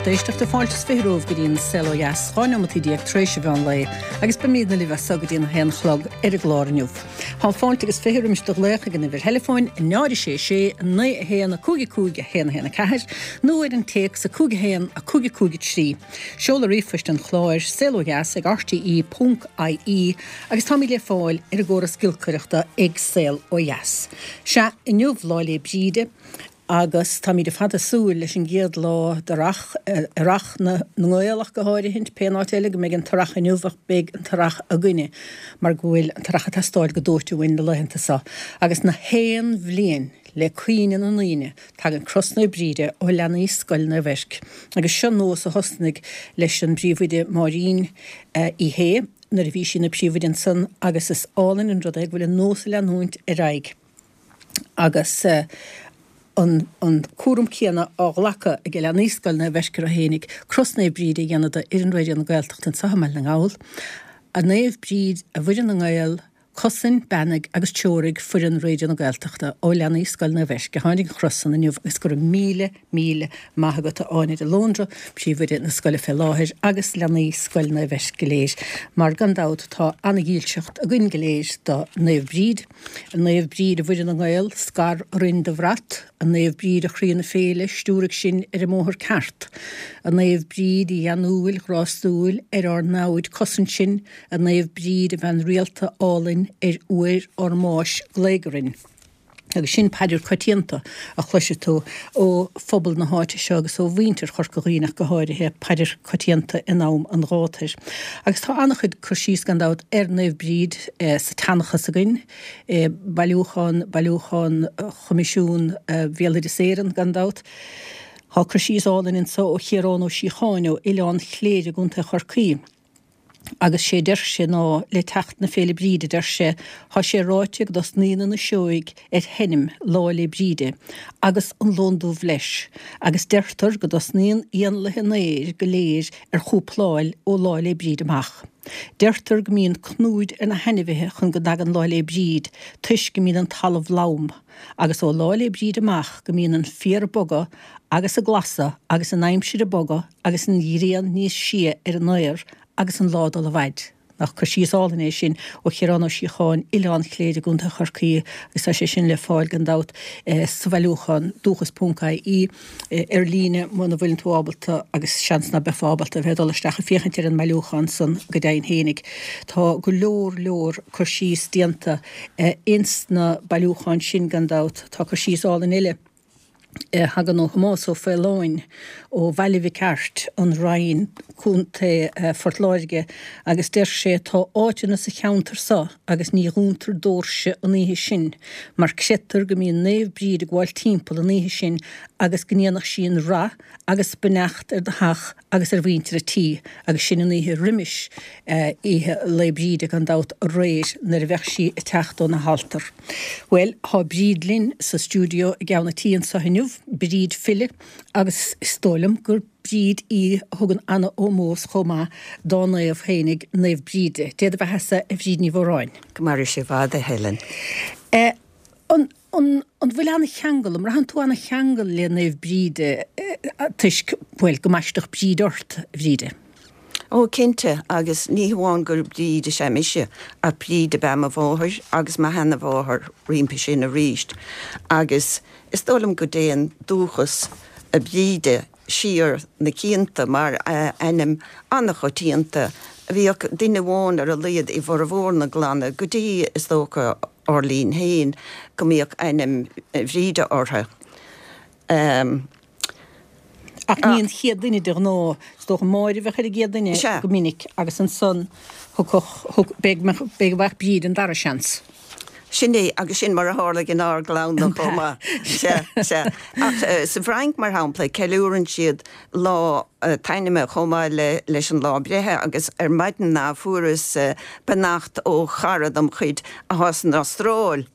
lucht éisteachta, fáilte is 20 romhaibh go dtí an Saol Ó Dheas, 12 neomataí tar éis an mheán lae, agus beimídne libh as so go dtí an haon chlog ar an gclár inniu. Tá fáilte agus 20 roimis do ghlaoch ag an uimhir theileafóin 0 6 6 9 1 5 5 1 1 4 nó ar an téacs 5 1 5 5 3. Seoladh ríomhphoist an chláir, saolodheas ag rte ponc ie agus táimid le fáil ar an gcóras giolcaireachta ag Saol Ó Dheas. Sea, inniu Lá 'le Bríde agus táimid ar fad ag súil leis an gcéad lá d'earrach, earrach na nGael ach go háirithint, pé áit eile go mbeidh an t-earrach inniu ach beidh an t-earrach againne mar go bhfuil an t-earrach ag teastáil go dóite uainn na laethanta seo agus na haon bhliain le cuimhne na ndaoine tagann Cros Naomh Bríde ó leanaí Scoil Naomh Eirc agus seo nós a thosnaigh leis an bpríomhoide Máirín Uí Shé nuair a bhí sí ina príomhoide ansan agus is álainn an rud é go bhfuil an nós ag leanúint ar aghaidh. agus an an cúram céanna á ghlacadh ag leanaí Scoil Naomh Eirc orthu fhéinig, Cros Naomh Bríde a dhéanamh d'fhoireann Raidió na Gaeltachta anseo i mBaile na nGall. A Naomh Bríd, a Mhuire na nGael, cosain, beannaigh agus treoraigh foireann Raidió na Gaeltachta ó leanaí Scoil Naomh Eirc a tháinig an chros san inniu agus go raibh míle, míle maith agat a Áine de Lóndra, Príomhoide na scoile fé láthair agus leanaí Scoil Naomh Eirc go léir mar gan dabht tá ana-dhílseacht againn go léir do Naomh Bríd. A Naomh Bríd, a Mhuire na nGael, scar orainn do bhrat, A Naomh Bríd, a chroí na féile, stiúraigh sinn ar an mbóthar ceart. A Naomh Bríd, a gheanúil, ghrástúil, ar ár namhaid cosain sinn, A Naomh Bríd, a bhean rialta álainn, ar uair ár mbáis glaoigh orainn. Agus sin paidir coitianta a chloisfidh tú ó phobal na háite seo agus ó mhuintir Chorca Dhuibhne ach go háirithe, paidir coitianta in am an ghátair. Agus tá an-chuid cur síos, gan dabht, ar Naomh Bríd sa tseanchas againn, i bailiúchán, bailiúchán Choimisiún Bhéaloideas Éireann, gan dabht. Tá cur síos álainn anso ó Chiarán Ó Síocháin ó Oileán Chléire i gContae Chorcaí. Agus sé deir sé ná le teacht na Féile Bríde, deir sé, thá sé ráite go dtosnaíonn na sióig ar sheinm Lá 'le Bríde, agus an lon dubh leis, agus deirtear go dtosnaíonn éanlaithe an aeir go léir ar chúpláil ó Lá 'le Bríde amach. Deirtear go mbíonn cnúid ar na hainmhithe chun go dtagann Lá 'le Bríd toisc go mbíonn an talamh lom, agus ó Lá 'le Bríde amach go mbíonn an féar ag bogadh agus ag glasú agus an aimsir ag bogadh agus an ghrian níos sia ar an aer agus an lá ag dul i bhfaid. Nach cur síos álainn é sin ó Chiarán Ó Síocháin, Oileán Chléire i gContae Chorcaí agus tá sé sin le fáil gan dabht sa bhailiúchán dúchas ponc ie ar líne muna bhfuileann tú ábalta agus seans ná beifeá ábalta a bheith ag dul isteach ag féachaint ar an mbailiúchán san go deimhin fhéinig. Tá go leor leor cur síos déanta ins na bailiúcháin sin gan dabht. Tá cur síos álainn eile. a thagann ó Thomás Ó Faoláin ó Bhaile Mhic Airt, An Rinn, Co. Phort Láirge, agus deir sé, Tá áiteanna sa cheantar so agus ní dhúntar dóirse an oíche sin mar creidtear go mbíonn Naomh Bríd ag gabháil timpeall an oíche sin agus go ndéanfadh sí an rath agus beannacht ar do theach agus ar mhuintir a' tí agus sin an oíche roimis oíche Lae Bríde gan dabht aréir nuair a bheadh sí ag teacht óna halltar. Bhuel, thá Bríd linn sa stiúideo i gceann a' tí anso inniu, Bríd file agus is dóigh liom gur Bríd í a thugann ana-ómós chomh maith dá naomh fhéinig, Naomh Bríde. Dé do bheathasa, a Bhríd Ní Mhóráin. Go maire sé i bhfad, a Helen. Eh, an. An bhfuil an-cheangal, an mbraitheann tú an-cheangal le Naomh Bríde toisc, bhuel, go mbaisteadh Bríd ort, a Bhríde? Ó, cinnte, agus ní hamháin gur Bríd is ea mise, ach Bríd ab ea mo mháthair agus mo sheana-mháthair roimpi sin aríst. Agus is dóigh liom go dtéann dúchas Bhríde siar na cianta mar ainm an-choitianta. Bhíodh duine amháin ar a laghad i bhformhór na gclanna go dtí, is dócha, ár linn féin, go mbíodh ainm Bhríde orthu. Ach ní an chéad duine de ghnáth, is dócha Máire a bheadh ar an gcéad duine go minic agus ansan thiocfadh, b'fhéidir go bhfaigheadh Bríd an dara seans. Sin é, agus sin mar a tharlaigh inár gclann-na chomh maith. Sea, sea. Ach sa bhFrainc, mar shampla, ceiliúrann siad lá an t-ainme chomh maith le leis an lá breithe agus ar maidin fuaireas beannacht ó chara dom chuid athá san Astráil.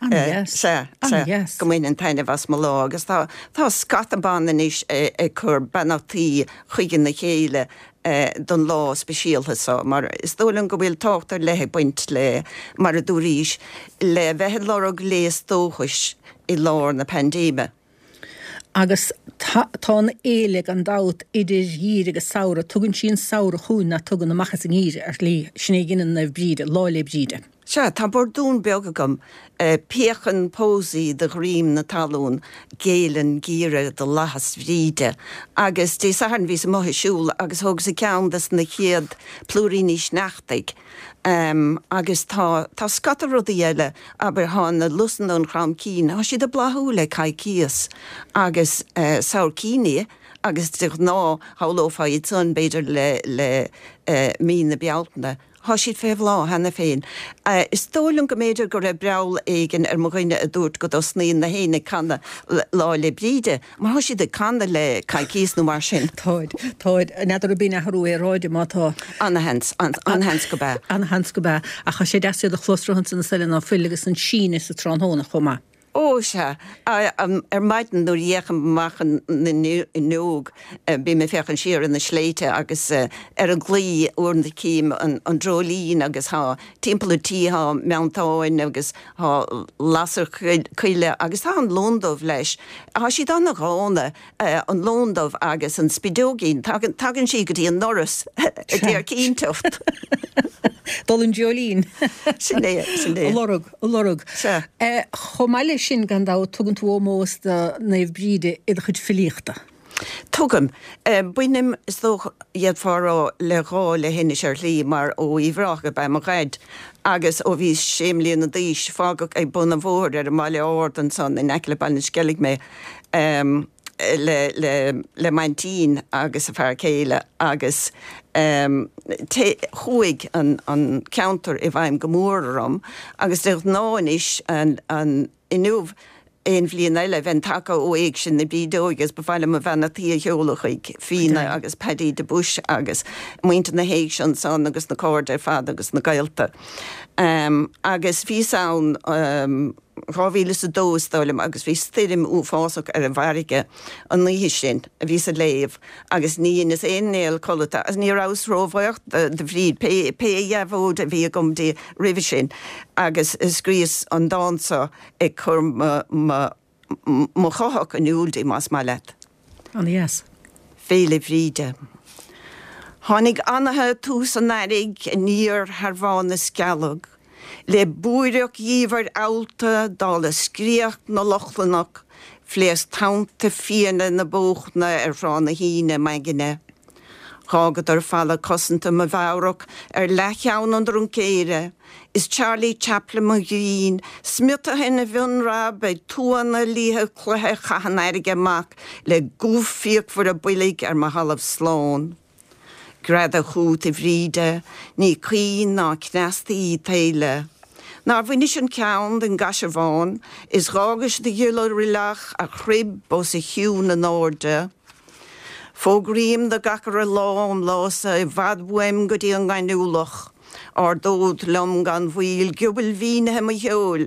An-dheas. Sea, sea. An-dheas. Go mbainfinn taitneamh as mo lá agus tá tá scata ban anois ag cur beannachtaí chuig a chéile don lá speisialta seo mar is dóigh liom go bhfuil tábhacht ar leith ag baint le, mar a dúraís, le bheith ag lorg léas dóchais i lár na paindéime. Agus. Tá an fhéile gan dabht idir gheimhreadh agus samhradh. Tugann sí an samhradh chugainn ná tugann amach as an ngeimhreadh ar shlí. Sin é a ghineann Naomh Bríde, Lá 'le Bríde. Sea, tá bordún beag agam. Píocann pósaí de dhroim na talún, géilleann geimhreadh do fhlaitheas Bhríde. Agus Dé Sathairn bhíos amuigh ag siúl agus thógas ceann des na chéad plúiríní sneachtaidh. Agus tá, tá scata rudaí eile, abair, thá na lusanna an chrann cinn, thá siad ag bláthú le coicíos agus sabhaircíní agus de ghnáth shamhlófá iad san b'fhéidir le, le mí na Bealtaine. Thá siad fé bhláth cheana féin. Is dóigh liom go mb'fhéidir go raibh breall éigin ar mo dhuine a dúirt go dtosnaíonn na héin ag canadh Lá 'le Bríde, mar thá siad ag canadh le coicíos nó mar sin. Táid, táid. N'fheadar an b'in athrú aeráide má tá. Ana-sheans, an-sheans go b'ea. Ana-sheans go b'ea. Ach thá sé deas iad a chlos ansan na soile ná fuil agus an síneadh sa tráthnóna chomh maith. Ó, sea. Ar maidin nuair a fhéachaim amach an fhuinneog, bím ag féachaint siar ar na sléibhte agus ar an gclaí uaireanta cím an dreoilín agus thá timpeall an tí thá meantáin agus thá lasair choille agus tá an lon dubh leis. Thá siad ana-dhána, an lon dubh agus an spideoigín. Tagann, tagann sí go dtí an ndoras ag iarraidh cinnteacht. Dul an dreoilín. Sin é, sin é. A lorg. a lorg. Sea. Chomh maith leis sin, gan dabht, tugann tú ómós do Naomh Bríde i do chuid filíochta. Tugaim. Bainim, is dócha, d'fhéadfá a rá, le gá le hInis ar shlí, mar ó Uíbh Ráthach ab ea mo dhaid, agus ó bhíos sé mbliana d'aois, fágadh ag bun an bhóthair ar an mBaile Ard ansan in aice le Baile na Sceilg mé. le le le m'aintín agus a fear céile agus té chuaigh an an ceantar i bhfeidhm go mór orm agus de ghnáth anois an an inniu aon bhliain eile bheinn tagtha ó Éigse na Brídeoige agus ba mhaith liom mo bheannachtaí a sheoladh chuig Fíona agus Paddy de Buis agus muintir na hÉigse ansan agus na cairde ar fad agus na gaolta. Agus bhíos ann 2002 is dóigh liom agus bhí stoirm uafásach ar an bhfarraige an oíche sin, bhíos ag léamh agus ní dheineas aon néal codlata agus ní rabhas róbhuíoch do Bhríd pé pé dheabhóid a bhí agam di roimhe sin agus scríos an dán seo ag cur mo mo mo chuthach in iúl di más maith leat. Ana-dheas. Féile Bhríde. Tháinig anaithe tús an earraigh aniar thar Bhá na Scealg, le búireach dhiamhair fheallta dála scréach na Lochlannach, phléasc tonnta fiaine na bóchna ar Thrá na hAoine m'aigne. Dh'fhágadar falla cosanta mo mheabhrach ar leathcheann an dreoilín, is Charlie Chaplin mo ghrinn smiotaithe ina mhionbhreab ag tuanna liatha cloiche a chaith an fharraige amach le guth fíochmhar a boilg ar mo thalamh slán. Greadadh chút, a Bhríde, ní caoin ná cneasta í t'fhéile. Nár bhainis an ceann den gcaisearbhán is dh'fhágais do ghiolla roilleach a chrib os a chionn in airde. Fógraím do gach re lá óm lá-sa i bhfad uaim go dtí an ngaineamhlach. Ardód liom gan mhoill giobail mhínithe mo cheoil,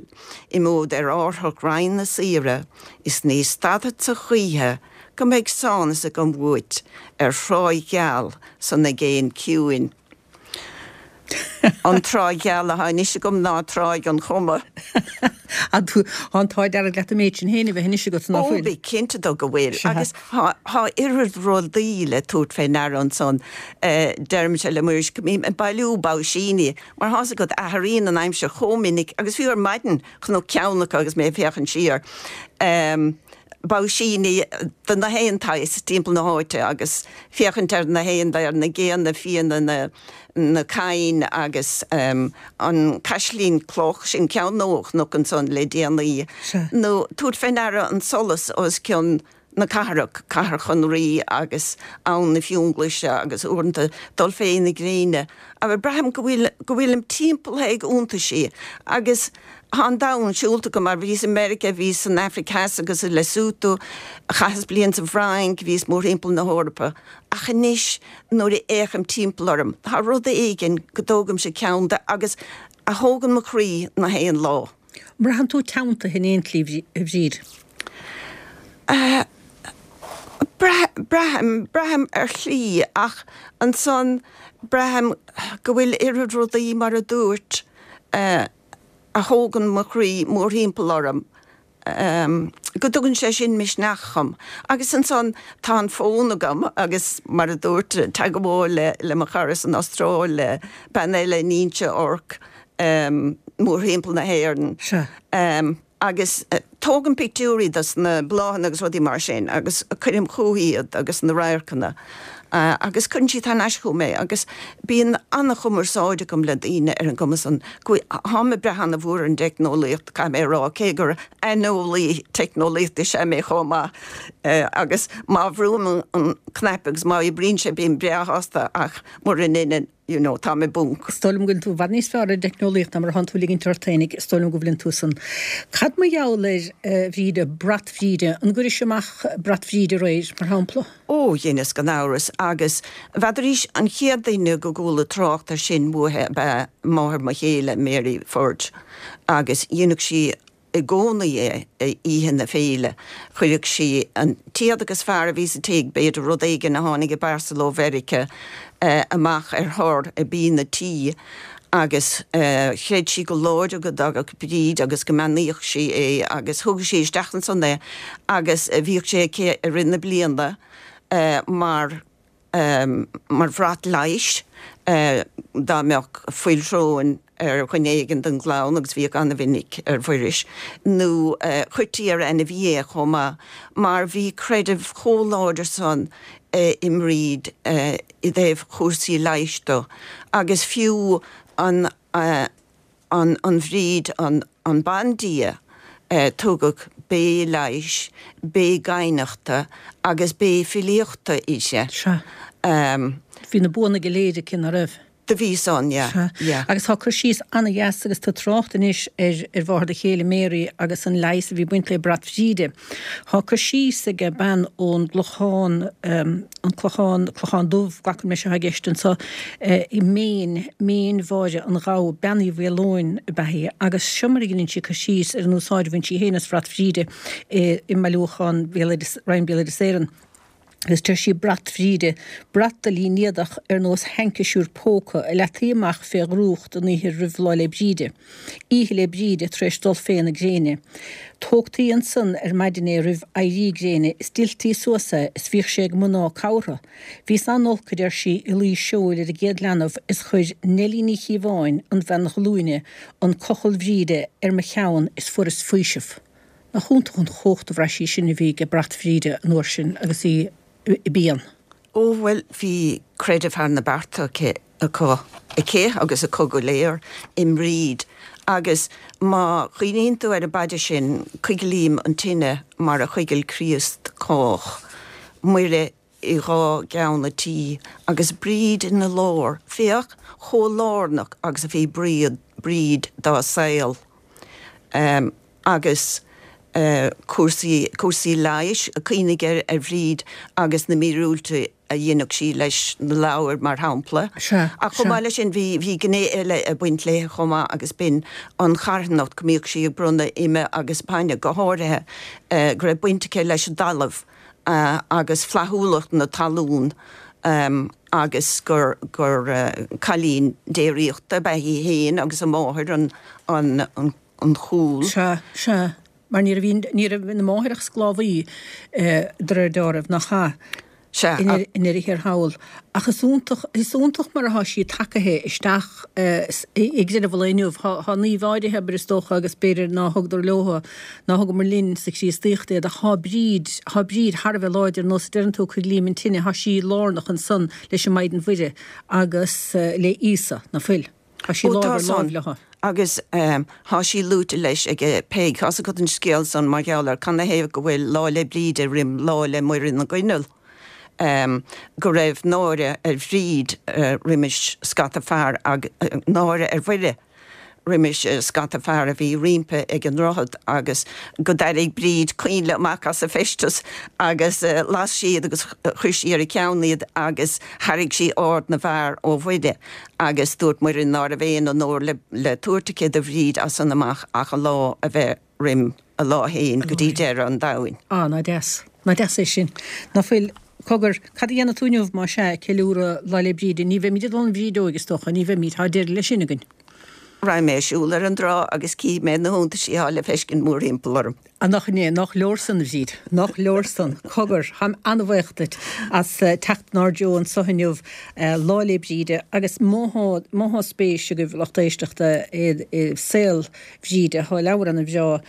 imeod ar árthach righin na saoire, is ní stadfadsa choíche go mbeidh sánas agam uait ar thráigh gheal san aigéan ciúin. An tráigh gheal athá anois agam ná Tráigh an Choma. Tá an t-ádh dearg leat an méid sin féin a bheith anois agat, ná fuil? Ó, bí cinnte de go bhfuil. Agus thá oiread rudaí le tabhairt fé ndeara ansan. Deirimse le Muiris go mbím ag bailiú baisíní, mar thá's agat, athraíonn an aimsir chomh minic agus fiú ar maidin chonac ceann acu agus mé ag féachaint siar. Baisíní de na haon tsaghas timpeall na háite agus féachaint ar na haon, ar na géanna fiaine, na na crainn agus an caislín cloch, sin ceann nua a chonac ansan le déanaí, nó tabhairt fé ndeara an solas os cionn na cathrach, Cathair Chonraí agus Abhainn na Fionglaise agus uaireanta dul fé na gréine. Abair, braithim go bhfuil, go bhfuilim timpeallaithe ag iontaisí agus thá an domhan siúlta agam mar bhíos i Meiriceá, bhíos san Afraic Theas agus i Lesotho, chaitheas bliain sa bhFrainc, bhíos mórthimpeall na hEorpa. Ach anois nuair a fhéachaim timpeall orm, tá rud éigin go dtógaimse ceann de agus a thógann mo chroí na haon lá. An mbraitheann tú teanntaithe in aon tslí, a Bhríd? Braithim, braithim ar shlí ach ansan braithim go bhfuil oiread rudaí mar a dúirt a thógann mo chroí mórthimpeall orm. go dtugann sé sin misneach dhom. Agus ansan tá an fón agam agus mar a dúirt, teagmháil le le mo chara san Astráil, le bean eile in Inse Orc, mórthimpeall na hÉireann. Sea. Agus tógaim pictiúirí dos na bláthanna agus rudaí mar sin agus cuirim chúithi iad agus na radharcanna agus cuireann siad thar n-ais chugam é agus bíonn an-chumarsáid agam le daoine ar an gcuma san. Táim ag brath an-mhór ar an dteicneolaíocht, caithfidh mé a rá, cé gur aineolaí teicneolaíochta is ea mé chomh maith agus má bhrúim an cnaipe agus má oibríonn sé bím breá shásta ach mura ndeineann, you know, táim i bponc. Is dóigh liom go bhfuil tú i bhfad níos fearr ar an dteicneolaíocht ná mar atánn tú ag ligint ort féinig, is dóigh liom go bhfuileann tú san. Cad mar gheall ar, a Bhríde, brat Bhríde, an gcuiris amach brat Bhríde aréir, mar shampla? Ó, dheineas gan amhras, agus n'fheadarís, an chéad duine go gcuala trácht air sin uaithi ab ea máthair mo chéile, Mary Forde, agus dheineadh sí i gcónaí é oíche na féile. Chuireadh sí an t-éadach is fearr a bhí sa tigh, b'fhéidir rud éigin a tháinig i bparcel ó Mheiriceá, amach ar thor i bíon a' tí agus chreid sí go láidir go dtagadh Bríd agus go mbeannaíodh sí é agus thugadh sí isteach ansan é agus bhíodh sé aici i rith na bliana mar mar bhrat leighis dá mbeadh fuil shróin ar dhuine éigin den gclann, agus bhíodh an-mhinic ar Mhuiris, nó chuirtí ar ainmhí é chomh maith, mar bhí creideamh chomh láidir san i mBríd i dtaobh chúrsaí leighis do, agus fiú an. an Bhríd, an bandia, tugadh bé leighis, bé gaibhneachta agus bé filíochta uirthi. Sea. Bhí na buanna go léir aici, ná raibh? Do bhí san, yeah, Sea. yeah. Agus tá cur síos ana-dheas agus tú ag trácht anois ar ar mháthair do chéile, Mary, agus an leigheas a bhí ag baint le brat Bhríde. Tá cur síos ag bean ón gClochán, an Clochán, Clochán Dubh, glacaim leis atá i gceist anseo, i Méin, Méin Mháire an Ghabha, Bean Uí Mhaoileoin ab ea í, agus seo mar a dheineann sí cur síos ar an úsáid a bhain sí féin as Brat Bhríde i mbailiúchán Bhéaloideas, Roinn Béaloideas Éireann. Agus deir sí, Brat Bhríde, brat de línéadach ar nós haincisiúr póca a leataí amach fé dhrúcht an oíche roimh Lá 'le Bríde, Oíche 'le Bríde tar éis dul fé na gréine. Tógtaí ansan ar maidin é roimh éirí gréine is d'fhilltí suas é is bhíodh sé ag mná cabhartha. Bhíos an-olc, a deir sí, i luí seoil ar an gcéad leanbh is chuir Neilí Ní Chíobháin, an bhean ghlúine, an cochall Bhríde ar mo cheann is fuaireas faoiseamh. Nach iontach an chumhacht a bhraith sí sin a bhí ag brat Bhríde an uair sin agus í i bpian. Ó, bhuel, bhí creideamh thar na bearta aici, acu, aici agus acu go léir i mBríd. Agus má chuimhníonn tú ar an bpaidir sin, Coiglím an tine mar a choigil Críost cách, Muire i dhá gceann a' tí agus Bríd ina lár, féach chomh lárnach agus a bhí Bríd, Bríd dá saol. Agus cúrsaí, cúrsaí leighis, cuimhnigh ar, ar Bhríd agus na míorúiltí a dheineadh sí leis na ladhair, mar shampla. Sea, Ach chomh sea. maith leis sin bhí, bhí gné eile ag baint léi chomh maith agus b'in an charthanacht, go mbíodh sí ag bronnadh ime agus bainne, go háirithe, go raibh baint aici leis an dtalamh. agus flaithiúlacht na talún agus gur gur cailín déiríochta ab ea í féin agus a máthair an an an chúl. Sea, sea, mar ní raibh ní raibh ina máthair ach sclábhaí de réir dealraimh, nach ea? Sea, i ndeireadh thiar thall. Ach is iontach, is iontach mar atá sí tagaithe isteach i gcreideamh an lae inniu. Tá naoimh áirithe, abair, is dócha, agus b'fhéidir ná thugadar leo, ná thugamar linn sa Chríostaíocht iad, ach tá Bríd, tá Bríd thar a bheith láidir, nós a deireann tú, coiglím an tine, tá sí lárnach ansan leis an Maighdean Mhuire agus le Íosa, ná fuil? Tá sí Ó lámh tá ar láimh san. leo. Agus tá sí luaite leis ag Peig. Tá's agat an scéal san mar gheall ar canathaobh go bhfuil Lá 'le Bríde roim Lá 'le Muire na gCoinneal. Go raibh náire ar Bhríd roimis scata fear ag, náire ar Mhuire roimis scata fear a bhí roimpi ag an ndroichead agus go dtarraing Bríd coinnle amach as a feisteas agus las sí iad agus chuir sí ar a ceann iad agus tharraing sí aird na bhfear ó Mhuire. Agus dúirt Muire ná raibh aon onóir le tabhairt aici do Bhríd as san amach ach a lá a bheith roim a lá fhéin go dtí deireadh an domhain. Á, ná deas. Ná deas é sin. Ná fuil? Cogar, cad a dhéanfaidh tú inniu, más ea, ag ceiliúradh Lá 'le Bríde? Ní bheimid ag dul 'on bhrídeoig, is dócha, ní bheimid, tá deireadh leis sin againn. Raghaidh mé ag siúl ar an dtrá agus cífidh mé na hiontaisí atá le feiscint mórthimpeall orm. Á nach in é, nach leor san, a Bhríd, nach leor san. Cogar, táim an-bhaoch duit as teacht inár dtreo anso inniu, Lá 'le Bríde, agus má thá, má thá spéis agaibh, lucht éisteachta, i saol Bhríde, thá leabhar ana-bhreá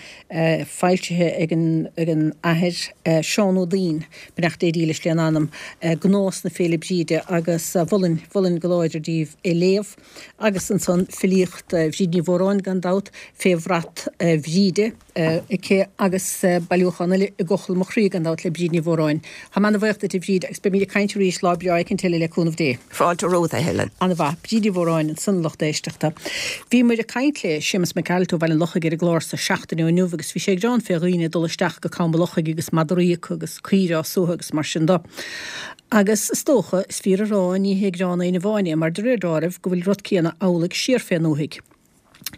foilsithe ag an, ag an Athair Seán Ó Duinn, beannacht Dé dílis lena anam, Gnás na Féile Bríde, agus mholfainn, mholfainn go láidir daoibh é léamh. Agus ansan filíocht Bhríd Ní Mhóráin gan dabht, Fé Bhrat Bhríde aici agus bailiúchán eile I gCochall Mo Chroí gan dabht le Bríd Ní Mhóráin. Táim ana-bhaoch duit a Bhríd agus beimid ag caint arís lá breá éicint eile le cúnamh Dé. Fáilte romhat a Helen. Ana-mhaith. Bríd Ní Mhóráin ansan a lucht éisteachta. Bhíomair ag caint le Séamus Mac Gearailt ó Bhaile an Lochaigh ar an gclár so seachtain ó inniu agus bhí sé ag gearán fé dhaoine ag dul isteach go Com an Lochaigh agus madraí acu agus caoire á suathadh agus mar sin do. Agus is dócha, is fíor a rá, ní hé gearán éinne amháin é, mar de réir deáraimh, go bhfuil rud céanna amhlaidh siar fén ndúthaigh.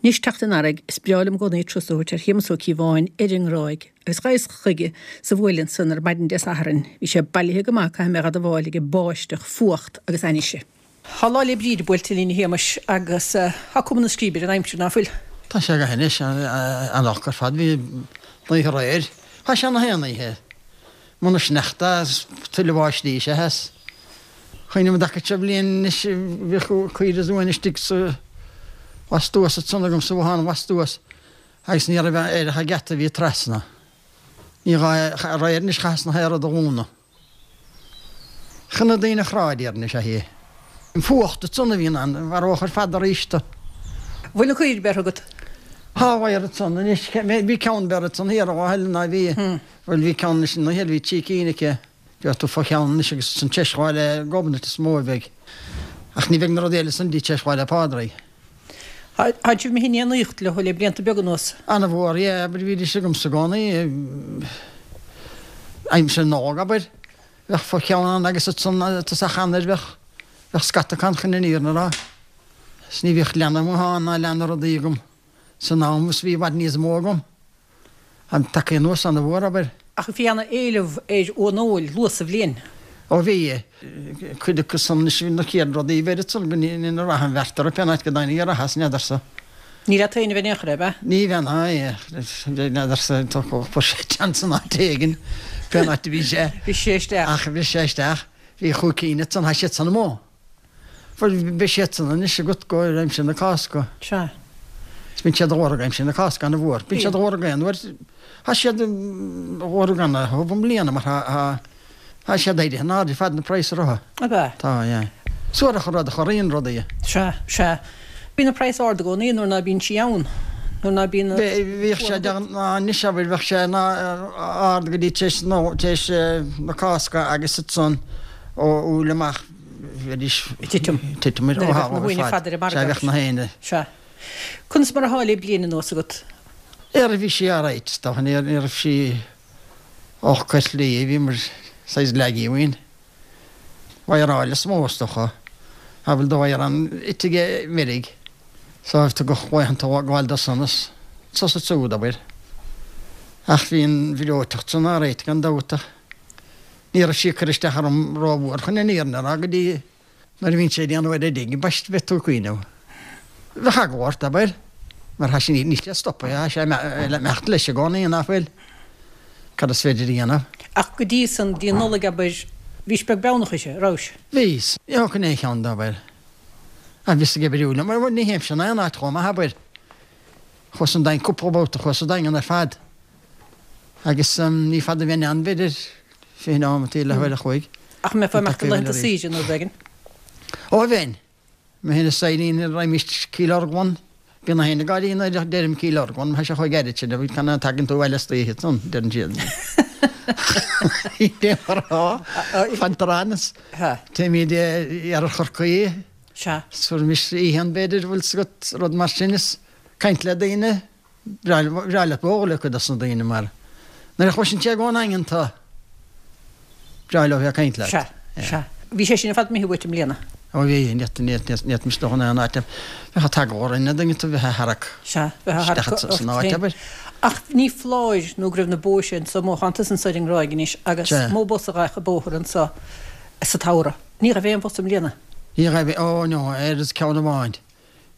Anois, teacht an earraigh, is breá liom i gcónaí turas a thabhairt ar Shéamus Ó Cíobháin ar an nGráig, agus ghabhas chuige sa bhuaile ansan ar maidin Dé Sathairn. Bhí sé bailithe go maith, caithfidh mé a dh'admháil, aige báisteach, fuacht agus ainnise. Tá Lá 'le Bríde buailte linn, a Shéamais, agus tá cuma na scríbe ar an aimsir, ná fuil? Tá sé go hainnis, an-olc ar fad. Bhí an oíche aréir. Tá sé na haon oíche. Muna sneachta is tuilleadh báistí is ea is cuimhním an dtaca seo bliain anois bhíodh caoire uain istigh sa bhfas thuas ansan agam sa bhothán bhfas thuas agus ní raibh air ach an geata a bhí trasna. Ní gá aréir anois chaitheas na haon rud a dhúnadh. Chan na daoine shráid iarraidh is ea é. An fuacht ansan a bhíonn ann, mharódh ar fad arís tu. Bhfuil na caoirigh beirthe agat? Thá bheir ansan anois, bhí ceann beirthe ansan thiar ó Helen ná bhí. Bhuel bhí ceann anois ina thiar, bhí trí cinn aici. Bheadh tú fá cheann anois agus ansan tar éis Lá 'le Gobnait is mó a bheidh. Ach ní bheidh na rudaí eile san dtí tar éis Lá 'le Pádraig. Tá sibh imithe in éineacht leo le blianta beaga anuas. Ana-mhór, yeah, abair bhídís agamsa i gcónaí. Aimsir na Nollag, abair, bheadh fá cheann ann agus ansan tosach Eanáir bheadh, bheadh scata acu ann chun an fhírinne a rá. 'S ní bhíodh leanbh amuigh ann ná leanbh rudaí agam san am is bhí i bhfad níos mó agam. An tagtha anuas ana-mhór, abair. Ach bhí ana-éileamh ar uan óil luath sa bhliain. Ó bhí. Cuid acu san anois bhí na chéad rudaí a bheir ansan go ina rath an bheart orthu pén áit go dtáinig a rath as n'fheadarsa. Ní leat féin a bheinn in aon chor, ab ea? Ní bheinn, aye. N'fheadarsa, fuair sé teann san áit éigin, pén áit a bhí sé. Bhris sé isteach. Ach bhris sé isteach. Bhí chúig cinn ansan, tá siad san amuigh. Bhuel, beidh siad san anois agat go aimsir na Cásca. Sea. Is bíonn siad á lorg aimsir na Cásca ana-mhór. Bíonn siad á lorg aon uair. Tá siad á lorg ana-thubh i mbliana mar tá, tá siad éirithe in airde ar fad na praghas orthu. Ab ea? Tá, yeah. Suarach an rud a chorraíonn rudaí. Sea, sea. Bíonn an praghas ard i gcónaí nuair ná bíonn sí ann. Nuair ná bíonn an. Bhíodh sé de ghnáth anois abair bheadh sé ard go dtí tar éis tar éis na Cásca agus ansan ó Iúil amach bheidís ag titim. Titim ar Nuair a bheadh na huain ar fad ar an margadh. Sea, bheadh na héinne. Sea. Conas mar atá le bliain anuas agat? Ar bhí sí alright, is dócha, ní raibh sí olc ar shlí, bhíomar saghas laggy uainn. Mhaoráil is mó, is dócha. Tha bhfuil do mhaorán ite aige meirg, so tugadh laethanta gabháil do sonas, sos is úd, abair. Ach bhí an bhreoiteacht san alright gan dabht ach. Ní raibh sí ag cur isteach orm rómhór chun an fhírinne a rá go dtí nuair a bhíonn sé ag déanamh ar a dtig, ambaist bheith tú ag cuimhneamh. Bheadh eagla ort, abair, mar tá sé, níl sé stoptha, tá sé ag imeacht leis i gcónaí, ná fuil? Cad is féidir a dhéanamh? Ach go dtí san, dtí an Nollaig, abair, bhís beag beannach uirthi, rabhais? Bhíos. Ní thógfainn aon cheann de, abair. Ach bhíos ag oibriú liom, mar ní théimse in aon áit chomh maith, abair. Chuas an Daingean, cúpla babhta chuas an Daingean ar fad. Agus ní fada a bheinn ann, b'fhéidir 20 nóimeataí, leathuair a chloig. Ach an mbeifeá ag imeacht laethanta saoire nó rud éigin? Ó bheinn. Mé féin is Irene, raghaimís Cill Orglan. Bíonn na héinne ag gáirí nuair a deirim Cill Orglan, tá sé chomh gairid sin, can a tagann tú abhaile istoíche ansan, deireann siad. Fantar ann is téimid iarthar Chorcaí. Sea. Fuair mise oíche ann, b'fhéidir, bhfuil 's agat, rud mar sin, is caint le daoine. Breá leat bualadh le cuid dos na daoine mar nuair a chloiseann siad ón nDaingean tú, breá leo bheith ag caint leat. Sea, sea. Bhí sé sin ar fad imithe uait i mbliana. Ó bhí, ní fhéadfaimis dul in aon áit, bheadh an t-eagla orainn an dtuigeann tú bheith á tharrac Sea, bheith á tharrac isteach san áit, abair. Ach ní foláir nó go raibh na bóithre anso amuigh, tánn tusa anso ar an nGráig anois agus mó bus a ghabhadh an bóthar anso sa tsamhradh. Ní raibh aon bhus i mbliana. Ní raibh, ó no, ar ceann amháin.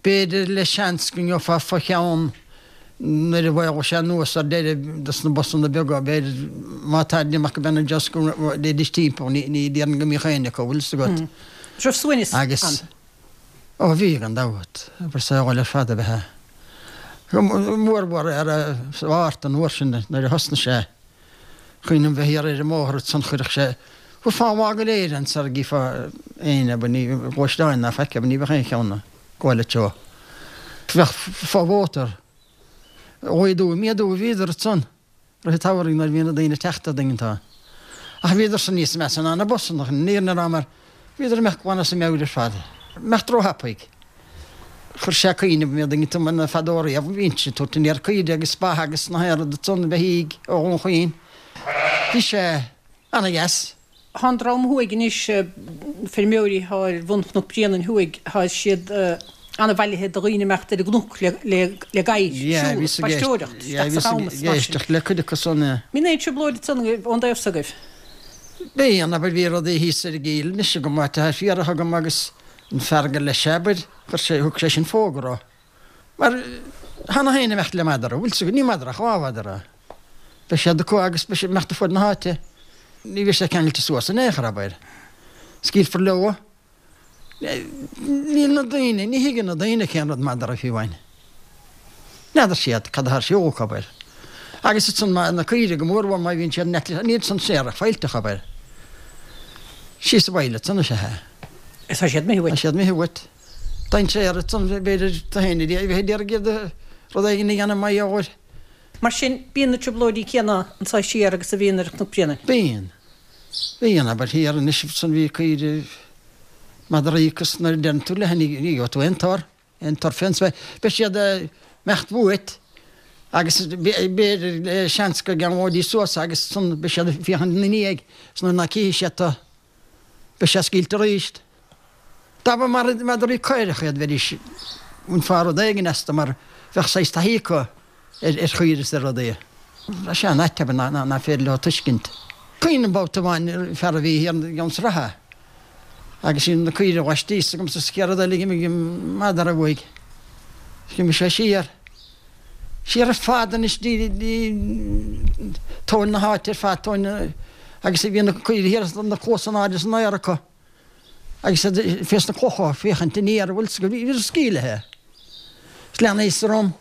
B'fhéidir le seans go ngeofá fo-cheann nuair a mhaolódh sé anuas ar deireadh dos na busanna beaga, b'fhéidir, má tá imeacht go Béal an Deosc go dtéidís timpeall, ní déarfainn go mbíodh éinne acu, bhfuil fhios agat. Raibh suaimhneas ann. Agus, ó bhí, gan dabht, obair saoil ar fad ab ea é. Go mórmhór ar sa Mhárta an uair sin nuair a thosnaigh sé. Cuimhin liom bheith thiar ar an mbóthar ansan chuirfeadh sé thabharfá an lá go léir ann sara gcífeá éinne abair ní gluaisteáin ná faic abair ní bheadh aon cheann ag gabháil an treo. Bheadh fo-mhótar laghdú méadú a bhíodar ansan rith an tsamhraidh nuair a bhí na daoine ag teacht an dtuigeann tú. Ach bhíodar san níos measa ná na busanna chun an fhírinne a rá mar bhíodar imeacht glan as a meabhair ar fad. Imeacht róthapaidh. Chuir sé cuimhneamh mé dtuigeann tú mar fadó riamh bhínnse ag tabhairt aniar caoire agus ba agus na haon rud ansan beithígh ó Dhún Chaoin. Bhí sé ana-dheas. Thá an dream thuaidh anois, feirmeoirí thá ar bhun Chnoc Bréanainn thuaidh, thá siad ana-bhailithe do dhaoine imeacht ar an gcnoc le gadhair, siúl, bhíos ag spaisteoireacht, yeah, isteach bhíos sa champas ag mar sin. éisteacht le cuid acu san, yeah. Mbíonn aon trioblóid ansan agaibh ón dtaobh s'agaibh? Bíonn, abair, bhí rudaí thíos ar an gCill anois agam, áit atá fiarach agam agus an fear gur leis é, abair, chuir sé, thug sé sin fógra. Mar thá na héinne imeacht le madra, bhfuil 's agat, ní madra ach lámhadra. Beidh siad acu agus beidh siad imeacht ar fuaid na háite. Ní bheidh sé ceangailte suas in aon chor, abair. Scaoilfear leo. Níl na daoine, ní thuigeann na daoine cén rud madra fiú amháin. N'fheadar siad cad atá ar siúl acu, abair. Agus ansan na caoirigh go mórmhór má bhíonn siad in aice, níl san séarach fáilteach, abair. Síos abhaile ansan is ea é. Tá siad imithe uait. Tá siad imithe uait. Dainséar ansan, b'fhéidir, do féin a bheith ag iarraidh iad rud éigin a dhéanamh mar gheall air. Mar sin, bíonn na trioblóidí céanna anso siar agus a bhíonn ar Chnoc Bréanainn. Bíonn. Bíonn, abair, thiar anois ansan bhí caoirigh madraí agus nuair a deireann tú leithe ní gheobhaidh tú aon tor, aon tor fén spéir. Beidh siad ag imeacht uait agus b'fhéidir le seans go gceanglóidís suas agus ansan beidh siad ag féachaint ina ndiaidh is nuair ná cífidh siad tú beidh sé scaoilte arís. Dá mba madraí caorach iad bheidís, bhainfeá rud éigin astu mar bheadh saghas taithí acu ar chaoirigh is ar rudaí. Tá sé an-ait abair nach féidir leo tuiscint. Cuimhin liom babhta amháin fear a bhí thiar i gCeann Sratha agus bhí na caoirigh laistíos agam sa chéad rud eile d'imigh an madra uaidh. D'imigh sé siar. Siar ar fad anois dtí tóin na háite ar fad, tóin na, agus bhí na caoirigh thiar na cluasa in airde san aer acu agus iad fés na clocha ag féachaint aniar, bhfuil 's agat, bhí scaoilithe. Is leanaíos orm.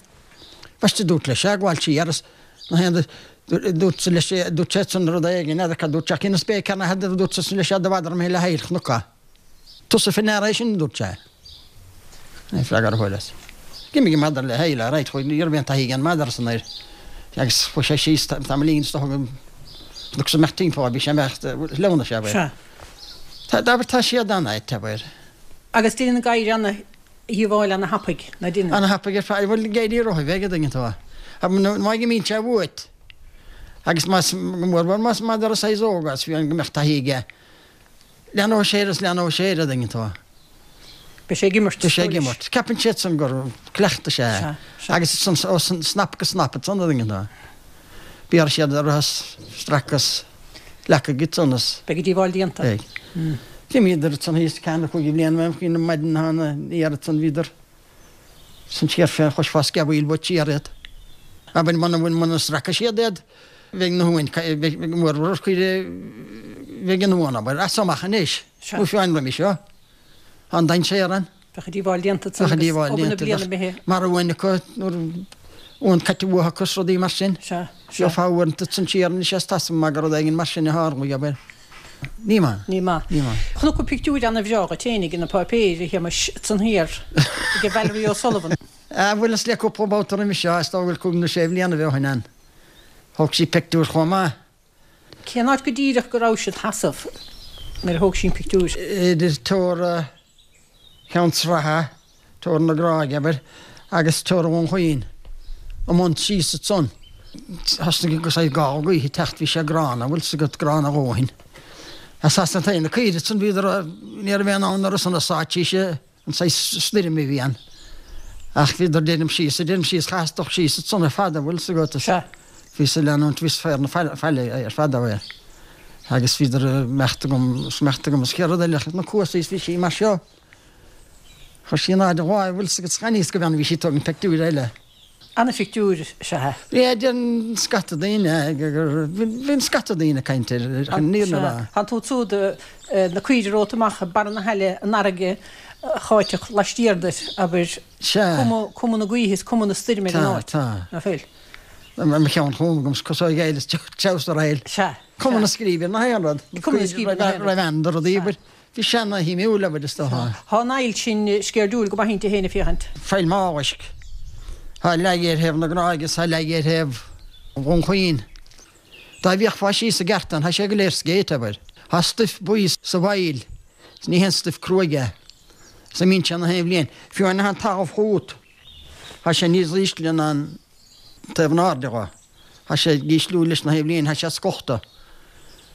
Bhaist dúirt leis é, gabháil siar is na haon dúirt leis é, dúirt sé san rud éigin, n'fheadar cad dúirt sé, ach ina spéic ar na dúirt sé leis é do mhadra imithe le haill chnoca. Tusa fé ndeara é sin, a dúirt sé. Ní freagra a fuaireas. D'imigh an madra le haill, alright, chuaigh, ní raibh aon taithí ag an madra san air agus chuaigh sé síos tamaillín is dócha go agus imeacht timpeall, bhí sé imeacht, shleamhnaigh sé, abair. Sea. Tá, abair, tá siad an-ait, abair. Agus déanann gadhair ana-dhíobháil ana-thapaidh, ná déanann? Ana-thapaidh ar fad, bhuel, gadhair rotha bheag a dtuigeann tú. Má imíonn sé uait agus más, go mórmhór más madra saghas óg as, fiú go mbeadh taithí aige, Leanóidh sé air is leanóidh sé air, a dtuigeann tú. Beidh sé ag imirt. Beidh sé ag imirt. Ceapann siad san gur cleachtadh sé é. Agus san ó snap go snap ansan, a dtuigeann tú. Béarfaidh siad orthu is stracadh is leacaigh ansan is. Beidh a díobháil déanta. Beidh. D'imíodar ansan thíos ceathair nó cúig bhliain uaim faoin maidin thána aniar ansan bhíodar san siar fé chloisfeá sceamhaíl uait siar iad. Abair muna bhfuil muna sracfaidh siad iad bheidh na huain bheidh mórmhór caoire bheidh an uan abair as amach anois nó fiú an roimhe seo. Tá an dainséar ann. Bheadh a díobháil déanta ansan Bheadh a agus díobháil obair na déanta bliana bheadh imithe. mar uain acu nuair uan caite uathu acu is rudaí mar sin. Sea, sea. Gheofá uaireanta ansan siar anois as tá san maith gur rud éigin mar sin a tharlaigh abair. Ní maith. Ní maith. Ní maith. Chonac tú pictiúir ana-bhreá dhuit fhéinig ina páipéir, a Shéamais, ansan thiar, ag Valerie O'Sullivan. Ah, bhuel, is le cúpla babhta roimhe seo, is dóigh go bhfuil cúig nó sé bhliana ó shin ann. Thóg sí pictiúr chomh maith. Cén áit go díreach go raibh siad sheasamh nuair a thóg sí an pictiúr? Idir teora Cheann Sratha, teora na Gráige, abair, agus teora Dhún Chaoin, i mbun síos ansan. Thosnaigh an saghas gála gaoithe ag teacht, bhí sé gránna, bhfuil 's agat, gránna a dhóthain. As as an taobh na caoirigh ansan bhíodar, ní raibh aon fhonn orthu san a sáitís an saghas stoirm a bhí ann. Ach bhíodar deirim síos, deirim síos, chaitheas dul síos ansan ar fad, an bhfuil 's agat, is bhíos ag leanúint, bhíos féar na faille ar fad abair. Agus bhíodar ag imeacht agam, is imeacht agam, is chéad rud eile, na cuasaí is bhí sí mar seo. Chuir sí in airde a láimh, bhfuil 's agat, gan fhios go bhfeann, bhí sí ag tógaint peictiúir eile. Ana-phictiúr is ea é. Yeah, deireann scata daoine gur, bíonn scata daoine ag caint air, chun an fhírinne a rá. Tánn tú ansiúd, na caoirigh romhat amach, barra na haille, an fharraige cháiteach laistiar duit, abair, cuma, cuma na gaoithe is cuma na stoirme ar an áit. Tá, tá. Ná fuil? Mo cheann chugam agam 's cosóidh éile is treabhsar éil. Sea, Cuma na scríbe ar na haon rud. Cuma na scríbe ar na haon rud. Raibh ann do rudaí, abair. Bhí sé ana-shuimiúil, abair, is dócha. Tá an aill sin sceirdiúil go maith inti féin ag féachaint. Faill Mhálaisc. Tá leath ar thaobh na Gráige is tá leath ar thaobh Dhún Chaoin. Dá bhféachfá síos i gceart ann, tá sé go léir scéite, abair. Tá stuif buí sa bhfaill, is ní haon stuif cruaidh é. Is imíonn sé na haon bhliain. Fiú amháin an talamh chugat, tá sé níos ísle ná an taobh in airde dho. Tá sé ag ísliú leis na haon bhliain, tá sé scochta.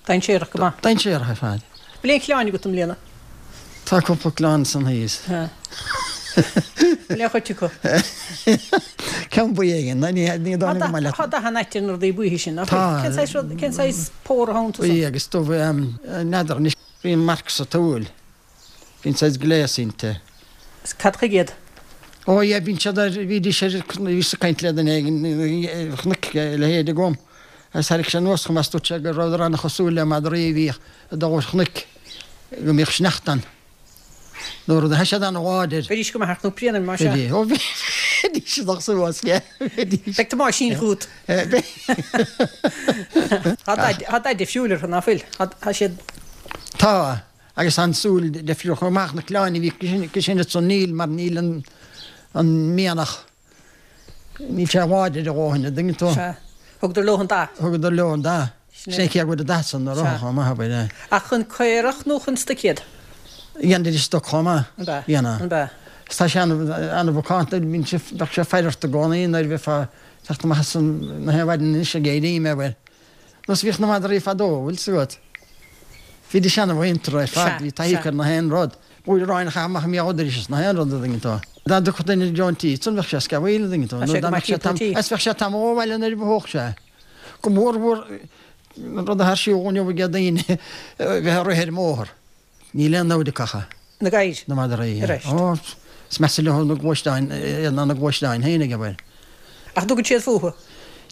Dainséarach go maith. Dainséarach ar fad. Bhfuil aon chlann agat i mbliana? Tá cúpla clann san thíos. Bhfuil aon chuid acu? Ceann buí éigin, ní dóigh liom go maith leat. Tá dath an-ait ar na rudaí buíthe sin, nach bhfuil? Cén saghas rud, cén saghas pór atá iontu san? Buí agus dubh, n'fheadar anois. Bíonn marc sa tsúil. Bíonn saghas gléas inti. Is cad chuige iad? Ó yeah, bíonn siad ar, bhídís ar, bhíos ag caint le duine éigin, chonaic a leithéid agam, agus thairrig sé anuas chugam is dúirt sé go rabhadar ana-chosúil le madraí a bhíodh ag dul ar chnoic, go mbíodh sneachta ann. Nó rud, tá siad ana-láidir. Bheidís go maith ar Chnóc Bréanainn, más ea. Bheidís, ó bheidís ag dul suas, yeah, bheidís. Beidh Tomáisín chugat. Tá dath difriúil orthu, ná fuil? Tá siad. Tá. Agus tá an tsúil difriúil chomh maith, na clann a bhí acu sin ansan níl mar níl an an mianach, níl sé láidir a dhóthain, an dtuigeann tú? Sea. Thugadar leo an dath. Thugadar leo an dath. Sin é cé go bhfuil an dath san orthu Sea. chomh maith, abair, é. Ach chun caorach nó chun stoic iad? Dhéanfaidís stoc chomh maith. An b'ea? Dhéanadh. An b'ea? Is tá sé an-mhacánta, bíonn sé, bheadh sé ag faire ort i gcónaí nuair a bheifeá ag teacht amach as an, na haon mhaidin anois ag éirí mé, abair. Nós bhíodh na madraí fadó, bhfuil 's agat. Bhídís ana-mhuinteartha ar fad, bhí taithí acu ar na haon rud. Blúire aráin a chaitheamh amach i mbéal dorais is na haon rud an dtuigeann tú. Dá dtiocfadh duine i dtreo an tí, ansan bheadh sé ag sceamhaíl an dtuigeann tú. Nó dá mbeadh sé tam, is bheadh sé tamall ó bhaile nuair a mhothódh sé. Go mór mhór an rud atá ar siúl inniu ag daoine bheith ag rith ar an mbóthar. Níl aon namhaid acu ach. Na gadhair. Na madraí. Ar ais. Ó, is measa leo na gluaisteáin, ná na gluaisteáin féin ag obair. Ach dtugann siad fúthu?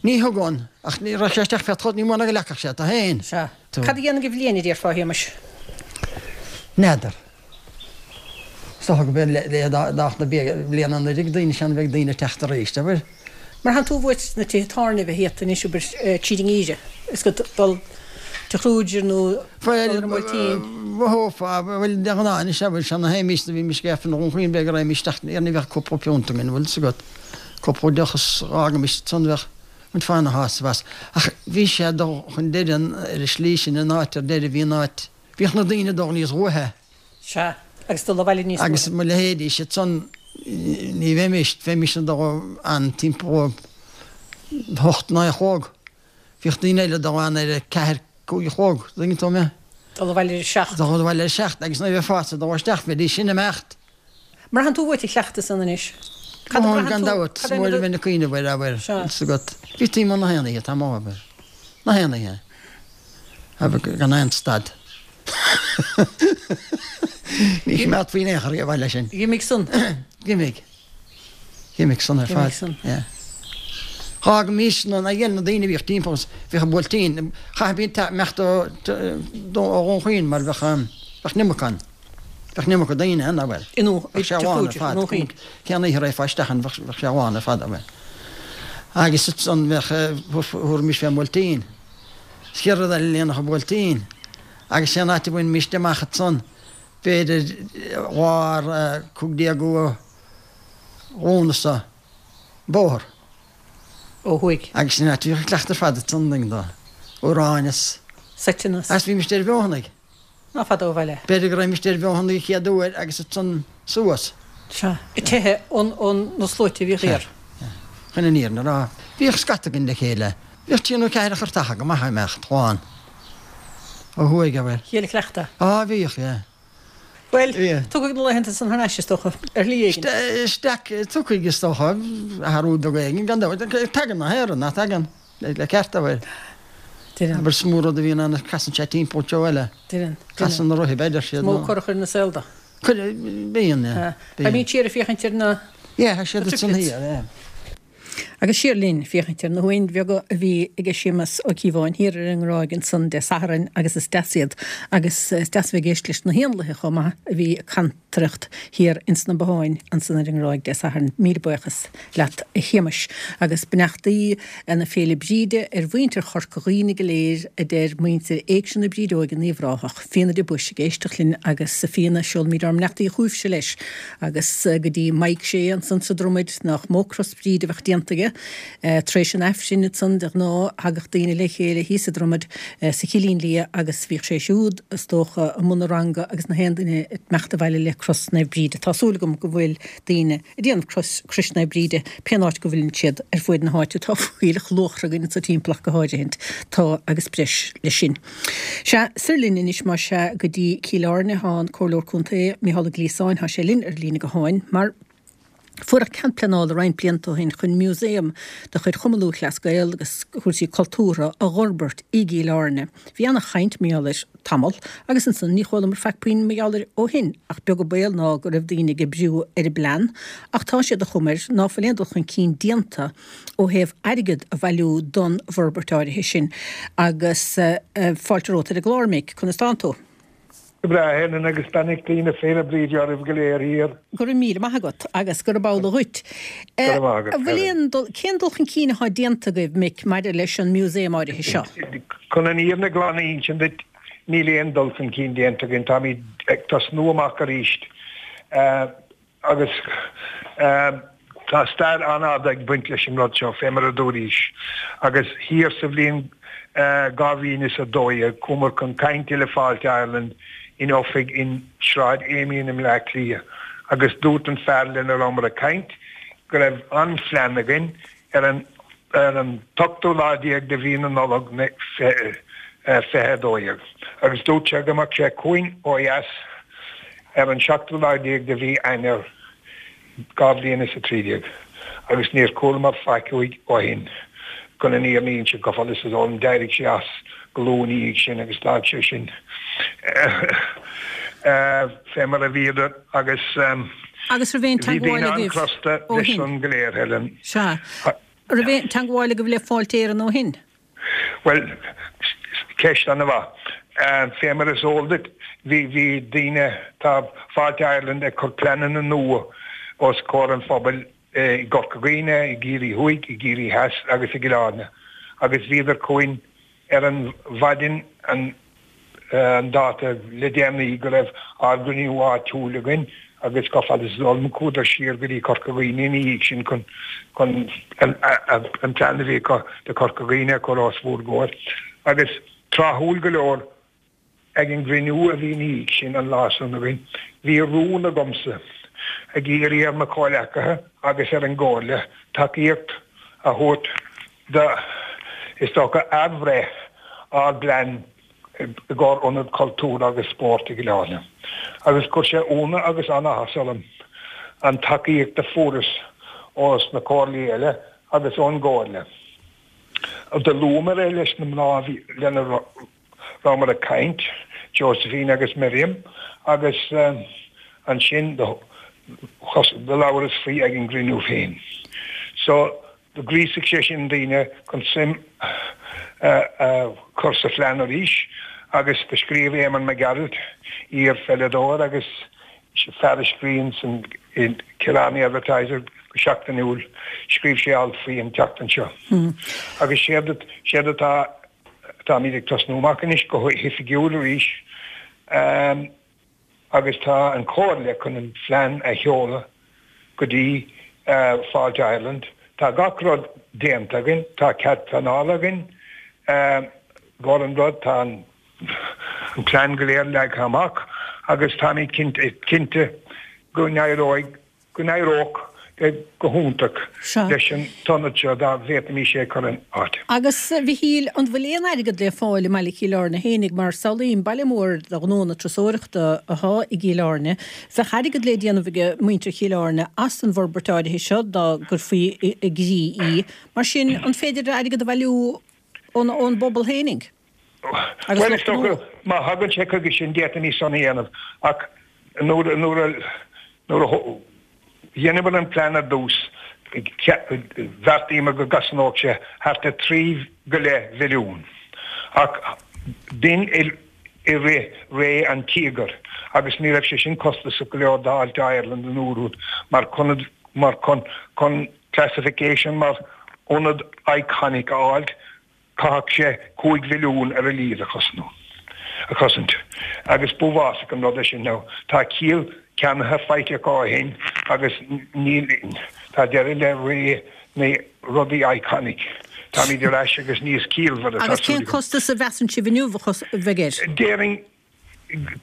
Ní thugann, ach ní raibh sé isteach fé chod, ní mó ná go leagfadh sé tú féin. Sea. Cad a dhéanfainn de bhliain, a déarfá, a Shéamais? N'fheadar. Is dócha go mb'é le dáth na bliana anuraidh daoine sean bheidh daoine ag teacht arís, abair. Mar thánn tú i bhfad sna tithe tábhairne a bheith iata anois, abair, tríd an ngeimhreadh, is go dul Tigh Kruger nó dul ar an mBuailtín. Mhothófá, bhuel, de ghnáth anois, abair, sean na théimis, do bhímis ag Aifreann Dhún Chaoin, b'fhéidir go raghaimís isteach, ní bheadh cúpla piúnt againn, bhfuil 's agat, cúpla deoch is dh'fhágaimis ansan, bheadh muid fána shásamh as. Ach bhí sé ag dul chun deireadh ar an slí sin, an áit ar deireadh, bhí an áit, bhíodh na daoine ag dul níos luaithe. Sea, agus dul abhaile níos luaithe. Agus mo leithéidí siad san, ní bheimis, bheimis ag dul ann timpeall a hocht, naoi a chlog. Bhíodh daoine eile ag dul ann ar a ceathair, cúig a chlog, dtuigeann tú mé? Dul abhaile ar a seacht. Dul abhaile ar a seacht, agus nuair a bheifeása ag dul isteach, bheidís sin ag imeacht. Mbraitheann tú uait an cleachtadh san anois? Cad a braitheann tú? Gan dabht, is mór a bheinn ag cuimhneamh air, abair, fhios agat. Bhítí amuigh na haon oíche, tá mo abair. Na haon oíche. Abair, gan aon stad. Ní choimeádfaí in aon chor abhaile sin. D'imigh san. D'imigh. D'imigh san ar fad. D'imigh san. Yeah. Dh'fhágaimis na, na na daoine a bhíodh timpeall, bhíodh an Buailtín, chaithfí imeacht ó Dhún Chaoin mar bheadh, bheadh an iomarca ann. Bheadh an iomarca daoine ann, abair. I nDún, Bheadh sé lán ar fad. Cén oíche a raghfá isteach ann, bheadh sé lán ar fad, abair. Agus ansan bheadh, thabharfaimis fén mBuailtín. Is chéad rud eile líonadh an Buailtín. Agus cén áit a bhainfimíst amach ansan, b'fhéidir lár 15ú Lúnasa, bóthar. Ó thuaidh. Agus sin áit a bhíodh an cleachtadh ar fad ansan, an dtuigeann tú. Amhráin is. Seiteanna is. Agus bhímist ar bheothanaigh. Ná fada ó bhaile. B'fhéidir go raghaimist ar bheothanaigh an chéad uair agus ansan suas. Sea. Ag teitheadh ó na sluaite a bhíodh thiar. Sea. Chun an fhírinne a rá, bhíodh scata againn le chéile. Bhíodh trí nó ceathair chartacha go maith ag imeacht, slán. Ó thuaidh, abair. Chéile cleachta. Á, bhíodh, yeah. Bhuel, tiocfaidh na laethanta san thar n-ais, is dócha, ar shlí éigin. Isteach, tiocfaidh, is dócha, athrú beag éigin, gan dabht. Tagann na haon rud, nach dtagann, le ceart, abair. Deireann. Abair, is mó rud a bhíonn ann, casann sé timpeall treo eile. Deireann. Casann na rotha, b'fhéidir, siad. Is mó cor a chuireann an saol de. Bíonn, yeah. Beimid siar ag féachaint ar na. Yeah, tá siad ansan thiar, yeah. Agus siar linn, féachaint ar na huain bheaga a bhí aige Séamus Ó Cíobháin thiar ar an nGráig ansan Dé Sathairn agus is deas iad agus is deas a bheith ag éist leis na héanlaithe chomh maith a bhí ag cantaireacht thiar ins na botháin ansan ar an nGráig Dé Sathairn. Míle buíochas leat a Shéamais. Agus beannachtaí na Féile Bríde ar mhuintir Chorca Dhuibhne go léir a deir muintir Éigse na Brídeoige in Uíbh Ráthach. Fíona de Buis ag éisteacht linn agus a Fíona seolaimid ár mbeannachtaí chugaibhse leis agus go dtí Mike Shea ansan sa Dromaid nach mó cros Bhríde a bheadh déanta aige. Tar éis an Aifrinn ansan de ghnáth thagadh daoine le chéile thíos sa Dromaid sa Chillín Liath agus bhíodh sé siúd is dócha i mbun a ranga agus na haon duine ag imeacht abhaile le cros Naomh Bríde. Tá súil agam go bhfuil daoine ag déanamh crois Crois Naomh Bríde pén áit go bhfuileann siad ar fuaid na háite. Tá fuílleach luachra againn anso timpeall ach go háirithint. Tá agus breis leis sin. Sea, soir linn anois más ea go dtí Cill Airne. Tá an Comhairleoir Contae, Micheál Ó Gliasáin, tá sé linn ar an líne gutháin mar fuaireadh cead pleanála roinnt blianta ó shin chun músaem de chuid Chumann Lúthchleas Gael agus cúrsaí cultúrtha a dh'fhorbairt i gCill Airne. Bhí ana-chaint mar gheall air tamall agus ansan ní chualamar faic puinn mar gheall air ó shin ach beag an baol ná go raibh daoine ag oibriú ar an bplean ach tá sé de chuma air ná fuil aon dul chun cinn déanta ó thaobh airgead a bhailiú don bhforbairt áirithe sin. Agus fáilte romhat ar an gclár, Mick. Conas tánn tú? Go breá, a Helen, agus beannachtaí na Féile Bríde oraibh go léir thiar. Go raibh míle maith agat agus gurab amhlaidh dhuit. Go raibh maith agat, Helen. Cén dul chun cinn atá déanta agaibh, Mick, maidir leis an músaem áirithe seo? Chun an fhírinne glan a insint duit, níl aon dul chun cinn déanta againn. Táimid ag tosnú amach arís. Agus tá stair an-fhada ag baint leis an rud seo, fé mar a dúraís. Agus thiar sa bhliain 2012, chuamar chun cainte le Fáilte Ireland in oifig in Sráid Amiens i mBleá Cliath agus dúirt an fear lena rabhamar ag caint go raibh an phlean againn ar an ar an t-ochtú lá déag de mhí na Nollag 2012 agus dúirt sé go mbeadh sé chugainn ó dheas ar an seachtú lá déag de mhí Eanáir 2013 agus níor chualamar faic uaidh ó shin. Chun an fhírinne a insint, go fada is is eol dom, d'éirigh sé as go luath ina dhiaidh sin agus d'fhág sé sin fé mar a bhíodar agus Agus raibh aon bhí teagmháil daoine agaibh an-chrosta ó leis shin? san go léir, Helen. Sea. Raibh aon teagmháil agaibh le Fáilte Éireann ó shin? Bhuel, ceist an-mhaith. Fé mar is eol duit, bhí, bhí daoine, tá Fáilte Ireland ag cur pleananna nua os comhair an phobail i gCorca Dhuibhne, i gCiarraí Thuaidh, i gCiarraí Theas agus i gCill Airne agus bhíodar chugainn ar an mhaidin an an dáta le déanaí go raibh ár gcruinniú áitiúil againn agus go fada is eol dom chuadar siar go dtí Corca Dhuibhne ina dhiaidh sin chun chun an plean a bhí acu do Chorca Dhuibhne a chur os bhur gcomhair. Agus tráthúil go leor ag an gcruinniú a bhí ina dhiaidh sin an lá san againn bhí rún agamsa ag iarraidh ar mo chomhleacaithe agus ar an gComhairle tacaíocht a thabhairt do, is dócha, athbhreith ár bplean i gcomhair Ionad Cultúrtha agus Spóirt i gCill Airne. Agus chuir sé ionadh agus an-áthas orm an tacaíocht a fuaireas ós na comhairlí eile agus ón gComhairle. Do luamar é leis na mná a bhí lena rabhamar ag caint, Josephine agus Miriam, agus ansin do labhras faoi ag an gcruinniú féin. So, Do ghríosaigh sé sin daoine chun suim a chur sa phlean arís agus do scríobh Éamonn Mac Gearailt, iar-pheileadóir agus fear a scríonn san Killarney Advertiser go seachtainiúil, scríobh sé alt faoi an tseachtain seo. Agus séard séard atá táimid ag tosnú amach anois go hoifigiúil arís. agus tá an Chomhairle chun an phlean a sheoladh go dtí Fáilte Ireland. Tá gach rud déanta againn, tá cead pleanála againn i gcomhair an rud, tá an plean go léir leagtha amach agus táimid cinnte go n-éireoidh go n-éireodh go hiontach leis an t-ionad seo dá bhféadfaimis é a chur in áit. Agus, a Mhichíl, an bhfuil aon airgead le fáil i mbaile Chill Airne fhéinig, mar samhlaím, baile mór de ghnó na turasóireachta athá i gCill Airne, bheadh airgead le déanamh ag muintir Chill Airne as an bhforbairt áirithe seo dá gcuirfí i gcrích í. Mar sin, an féidir airgead a bhailiú ón bpobal fhéinig? Agus Bhuel, is dócha, má thagann sé chuige sin, d'fhéadfaimis san a dhéanamh, ach. Nuair a nuair a dheineamar an plean ar dtús, bheartaíomar go gcosnódh sé thart ar 3 go leith mhilliún. Ach b'in i rith ré an Tíogair agus ní raibh sé sin costasach go leor d'Fháilte Ireland an uair úd mar chun mar chun chun classification mar ionad iconic a fháilt. Chaithfeadh sé 5 mhilliún ar a laghad a chosnú, a chosaint. Agus b'uafásach an rud é sin. Now, tá ciall ceannaithe faighte acu ó shin agus níl, tá deireadh le ré na rudaí iconic. Táimid ar ais agus níos ciallmhaire, tá súil agam. Agus cén costas a mheasann sibh inniu a bheidh air? Déarfainn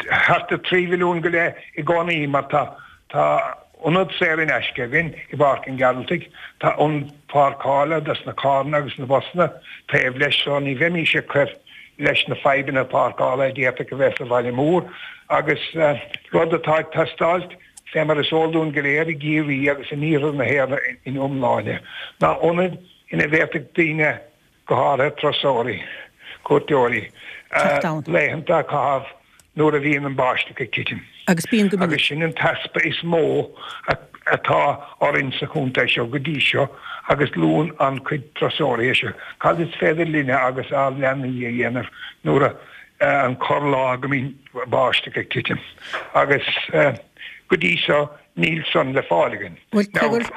thart ar 3 mhilliún go leith i gcónaí mar tá tá ionad saor in aisce againn i bPáirc an Ghearaltaigh, tá ionad páirceála dos na carranna agus na busanna taobh leis so ní bheimís ag cur leis na fadhbanna páirceála a d'fhéadfadh a bheith sa bhaile mór agus rud atá ag teastáilt fé mar is eol dúinn go léir i gCiarraí agus in iarthar na hÉireann ina iomláine ná ionaid ina bhféadfadh daoine go háirithe turasóirí, cuairteoirí, laethanta a chaitheamh nuair a bhíonn an báisteach ag titim. Agus bíonn go minic. Agus sin an t-easpa is mó atá orainn sa chontae seo go dtí seo agus luann an-chuid turasóirí é seo. Cad is féidir linne agus ár leanaí a dhéanamh nuair a an corrlá go mbíonn báisteach ag titim? Agus go dtí seo níl san le fáil againn. Bhuel, cogar.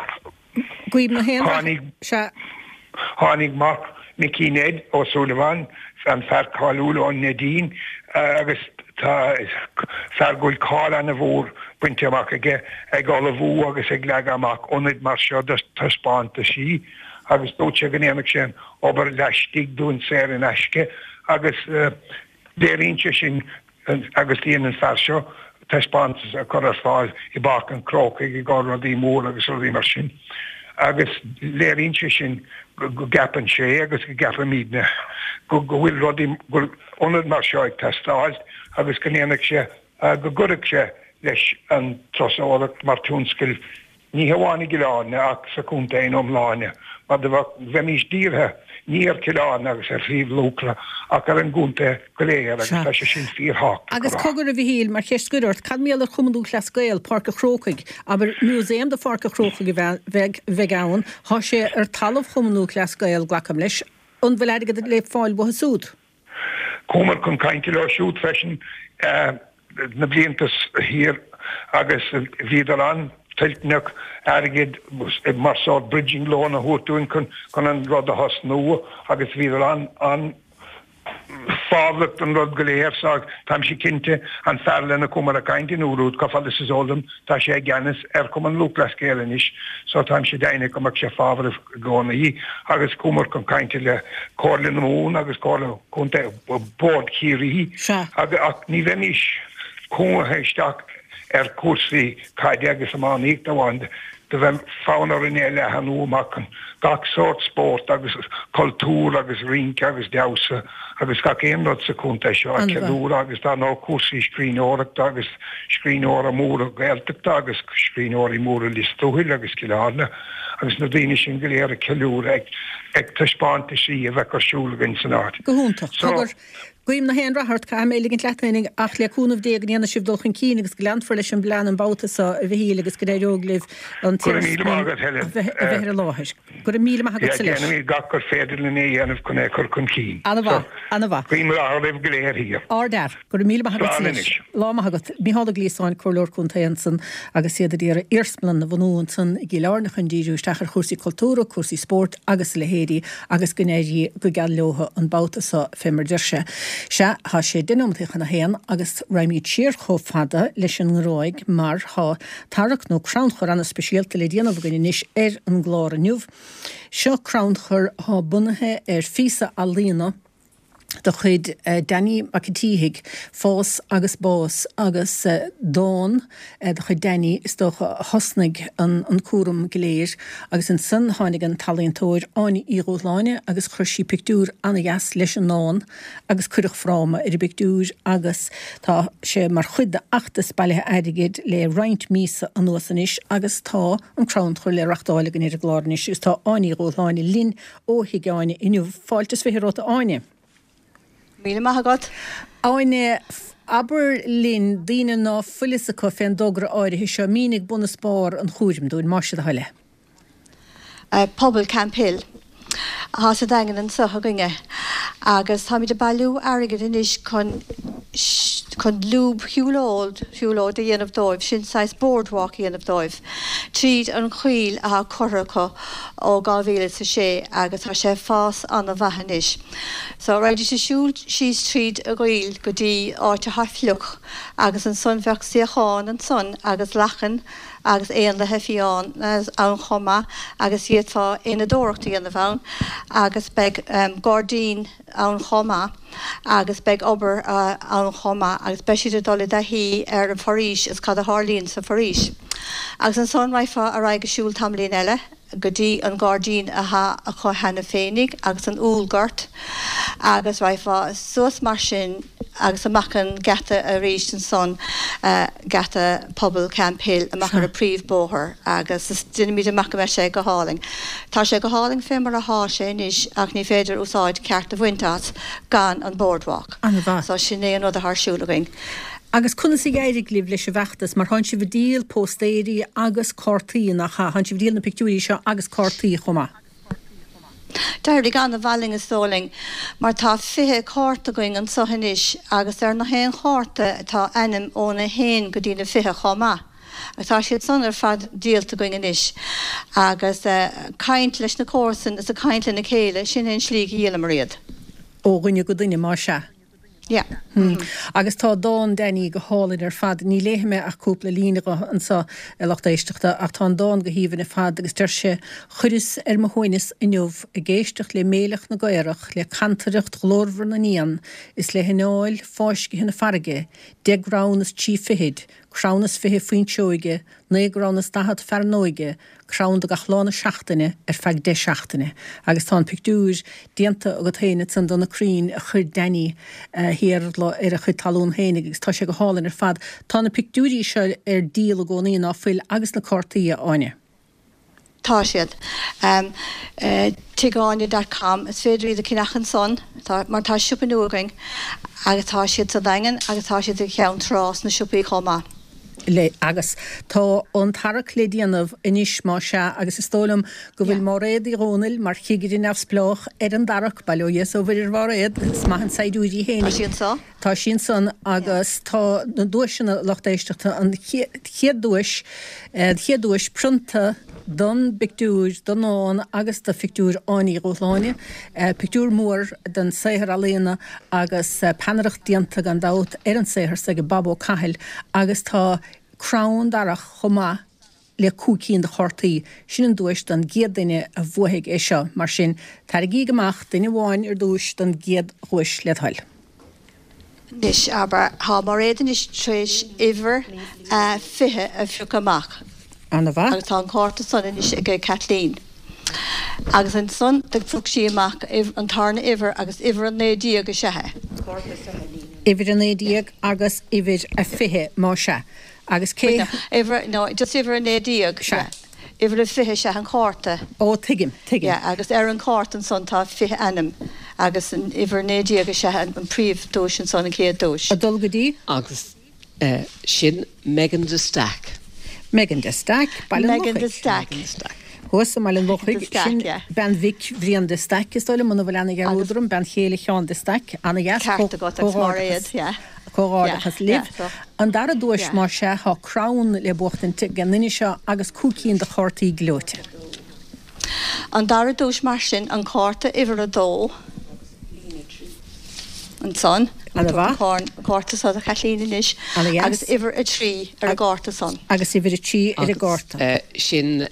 Guím na haon rath. Tháinig, Sea. Tháinig mac Micí Ned Ó Súilleabháin, an fear cáiliúil ón Neidín, agus tá fear go bhfuil cáil ana-mhór bainte amach aige ag ullmhú agus ag leagadh amach ionaid mar seo do taispeántaisí agus dúirt sé go ndéanfadh sé an obair laistigh dúinn saor in aisce agus léiríonn sé sin agus dhein an fear seo taispeántas a chur ar fáil i bPáirc an Chrócaigh i gcomhair rudaí móra agus rudaí mar sin agus léiríonn sé sin go gceapann sé agus go gceapaimidne go bhfuil rudaí, go bhfuil ionad mar seo ag teastáil agus go ndéanfadh sé, go gcuirfeadh sé leis an turasóireacht mar tionscal Ní hamháin i gCill Airne ach sa chontae ina iomláine, mar do bheadh, bheimís dírithe ní ar Chill Airne agus ar Shliabh Luachra ach ar an gcontae go léir agus tá sé sin fíorthábhachtach a Agus rá. cogar, a Mhichíl, mar cheist scoir ort, cad mar gheall ar Chumann Lúthchleas Gael, Páirc a' Chrócaigh? Abair, músaem de Pháirc a' Chrócaigh a bheidh, bheidh ann, thá sé ar talamh Chumann Lúthchleas Gael, glacaim leis. An bhfuil airgead le fáil uathu súd? Chuamar chun cainte leo siúd freisin na blianta thiar agus bhíodar an-toilteanach airgead mar sórt bridging loan a thabhairt dúinn chun an rud a thosnú agus bhíodar an-fhábhrach don rud go léir so táimse cinnte an fear lena chuamar ag caint an uair úd, chomh fada is is eol dom tá sé i gceannas ar Chumann Lúthchleas Gael anois so táimse deimhneach go mbeadh sé fábhrach i gcónaí agus chuamar chun cainte le Comhairle na Mumhan agus Comhairle Contae Bord Chiarraí ach ní bheimís cúngaithe isteach ar chúrsaí caide agus iománaíochta amháin. Do bheadh fonn orainn é a leathanú amach chun gach sórt spórt agus cultúr agus rince agus damhsa agus gach aon rud sa chontae seo a cheiliúradh agus dar ndóigh cúrsaí scríbhneoireachta agus scríbhneoirí móra Gaeltachta agus scríbhneoirí móra Lios Tuathail agus Cill Airne. agus na daoine sin go léir a cheiliúradh ag taispeántaisí a bheadh ar siúl againn san áit. Go hiontach. So. Cogar, guím na haon rath ort, caithfidh mé ligint leat féinig ach le cúnamh Dé go ndéanfaidh sibh dul chun cinn agus go leanfar leis an bplean an babhta seo, a Mhichíl, agus go n-éireoidh libh an t-iarsmalann a bheith ar an láthair. Go raibh míle maith agatsa leis. Déanfaimid gach gur féidir linn a dhéanamh chun é a chur chun cinn. Ana-mhaith, ana-mhaith. Guím rath oraibh go léir thiar. Ardfhear. Go raibh míle maith agat Slán anois. Lá maith agat. Micheál Ó Gliasáin, Comhairleoir Contae ansan agus iad ag iarraidh iarsmalann a bhunú ansan i gCill Airne chun díriú isteach ar chúrsaí cultúrtha, cúrsaí spóirt agus a leithéidí agus go n-éirí go geal leotha an babhta so fé mar deir sé. Sea, thá sé deich nóimeataí chun a haon agus raghaimíd siar chomh fada leis an nGráig mar thá tarrac nó crannchur ana-speisialta le déanamh againn anois ar an gclár inniu. Seo crannchur thá bunaithe ar phíosa ealaíona, de chuid Danny Mac an tSíthigh, Fás agus Bás, agus dán de chuid Danny, is dócha, a thosnaigh an cúram go léir. Agus ansan tháinig an t-ealaíontóir Áine Uí Dhúshláine agus chuir sí pictiúr ana-dheas leis an ndán agus cuireadh fráma ar an bpictiúr agus tá sé mar chuid d'fheachtas bailithe airgid le roinnt míosa anuas anois agus tá an crannchur le reachtáil againn ar an gclár anois agus tá Áine Uí Dhúshláine linn Ó Thigh Áine inniu. Fáilte is 20 romhat a Áine. Míle maith agat. Áine, Abair linn, daoine ná fuil fhios acu fén dtogra áirithe seo, mínigh bun is barr an chúraim dúinn, más é do thoil é. Pobal Camphill atá sa Daingean anso againne agus táimid ag bailiú airgid anois chun chun lúb shiúlóid siúlóid a dhéanamh dóibh, sin saghas boardwalk a dhéanamh dóibh tríd an choill atá curtha acu ó 2006 agus tá sé ag fás ana-mhaith anois. So raghaidís ag siúl síos tríd an gcoill go dtí áit atá fliuch agus ansan bheadh suíocháin ansan agus lachan agus éanlaithe fiáin ann chomh maith agus d'fhéadfá éanadóireacht a dhéanamh ann agus beidh gairdín ann chomh maith agus beidh obair ann chomh maith agus beidh siad ag dul i dtaithí ar an bhforaois is cad a tharlaíonn sa bhforaois. Agus ansan raghfá ar aghaidh ag siúl tamaillín eile go dtí an gairdín athá acu cheana féinig agus an úllghort agus raghfá suas mar sin agus amach an geata arís ansan, geata Pobal Camphill, amach ar an príomh-bóthar agus déanaimid amach go mbeidh sé go hálainn. Tá sé go hálainn fé mar athá sé anois ach ní féidir úsáid ceart a bhaint as gan an boardwalk. An-mhaith. So sin é an rud athá ar siúl againn. Agus conas a d'éirigh libh leis an bhfeachtas, mar thánn sibh ag díol póstaeirí agus cártaí, nach ea? Thánn sibh ag díol na pictiúirí seo agus cártaí chomh maith. D'éirigh an-mhaith linn is dóigh linn, mar tá 20 cárta againn anso anois agus ar na haon chárta tá ainm óna haon go dtí na 20 chomh maith. Agus tá siad san ar fad díolta againn anois. Agus caint leis na comharsain is ag caint lena chéile, sin é an slí go dhíolamar iad. Ó dhuine go duine, más ea. Yeah. Agus tá dán Danny go hálainn ar fad. Ní léifidh mé ach cúpla líne dho anso, a lucht éisteachta, ach tá an dán go haoibhinn ar fad agus deir sé, Chuireas ar mo shuaimhneas inniu ag éisteacht le méileach na gcaorach, le cantaireacht ghlórmhar na n-éan is le hanáil fáiscthe na farraige, deich gcrann is trí fichid, crann is 20 fuinseoige, naoi gcrann is 40 fearnóige, crann do gach lá na seachtaine ar feadh 10 seachtaine. Agus tá an pictiúr déanta agat féin ansan do na crainn a chuir Danny Iarla ar a chuid talún féinig agus tá sé go hálainn ar fad. Tá na pictiúirí seo ar díol i gcónaí, ná fuil, agus na cártaí, a Áine? Tá siad. Tigh dot com, is féidir iad a cheannach ansan, tá, mar tá siopa nua againn agus tá siad sa Daingean agus tá siad i gCeann Trá sna siopaí chomh maith. le, agus tá an tarrac le déanamh anois más ea, agus is dóigh liom go bhfuil Máiréad Uí Dhomhnaill mar chigire neamhspleách ar an dtarrac, bail ó Dhia is ó Mhuire ar Mháiréad, is maith an saighdiúir í féinig. Tá sí anso. Tá sí ansan agus tá na duaiseanna lucht éisteachta, an chéad duais, an chéad duais prionta don bpictiúr, don ndán agus do phictiúr Áine Uí Dhúshláine, pictiúr mór den saothar ealaíona agus peannaireacht déanta gan dabht ar an saothar so ag Bob Ó Cathail agus tá crann darach chomh maith le 5 cinn de chártaí. Sin an duais don gcéad duine a bhuafaidh é seo. Mar sin, tarraingíg amach duine amháin ar dtúis don gcéad dhuais led thoil. Anois, abair, tá Máiréad anois tar éis uimhir a 20 a phiocadh amach. Ana-mhaith. Agus tá an cárta san anois ag Kathleen. Agus ansan do phioc sí amach an tarna uimhir agus uimhir a 19 is ea é. Uimhir a 19 agus uimhir a 20, más ea. Agus cé. Uimhir, no, just uimhir a 19. Sea. Uimhir a 20 is ea an cárta. Ó, tuigim, tuigim. Yeah, agus ar an chárta ansan tá 20 ainm agus an uimhir 19 is ea an príomh-duais ansan, an chéad duais. Ag dul go dtí? Agus sin Megan de Staic. Megan de Staic, Baile an Megan de Staic. Megan de Staic. Thuas i mBaile an Lochaigh, sin bean mhic Bhriain de Staic, is dóigh liom, muna bhfuil aon dhearúd orm, bean chéile Sheáin de Staic. Ana-dheas, Ceart agat, agus Máiréad, yeah. Comhghairdeachas libh. An dara duais, más ea, tá crann le buachtaint ag an duine seo agus 5 cinn de chártaí gleoite. An dara duais mar sin, an cárta uimhir a dó ansan. Ana-mhaith. An cárta so do Chaitlín anois. Ana-dheas. Agus uimhir a trí ar an gcárta san. Agus uimhir a trí ar an gcárta. Agus sin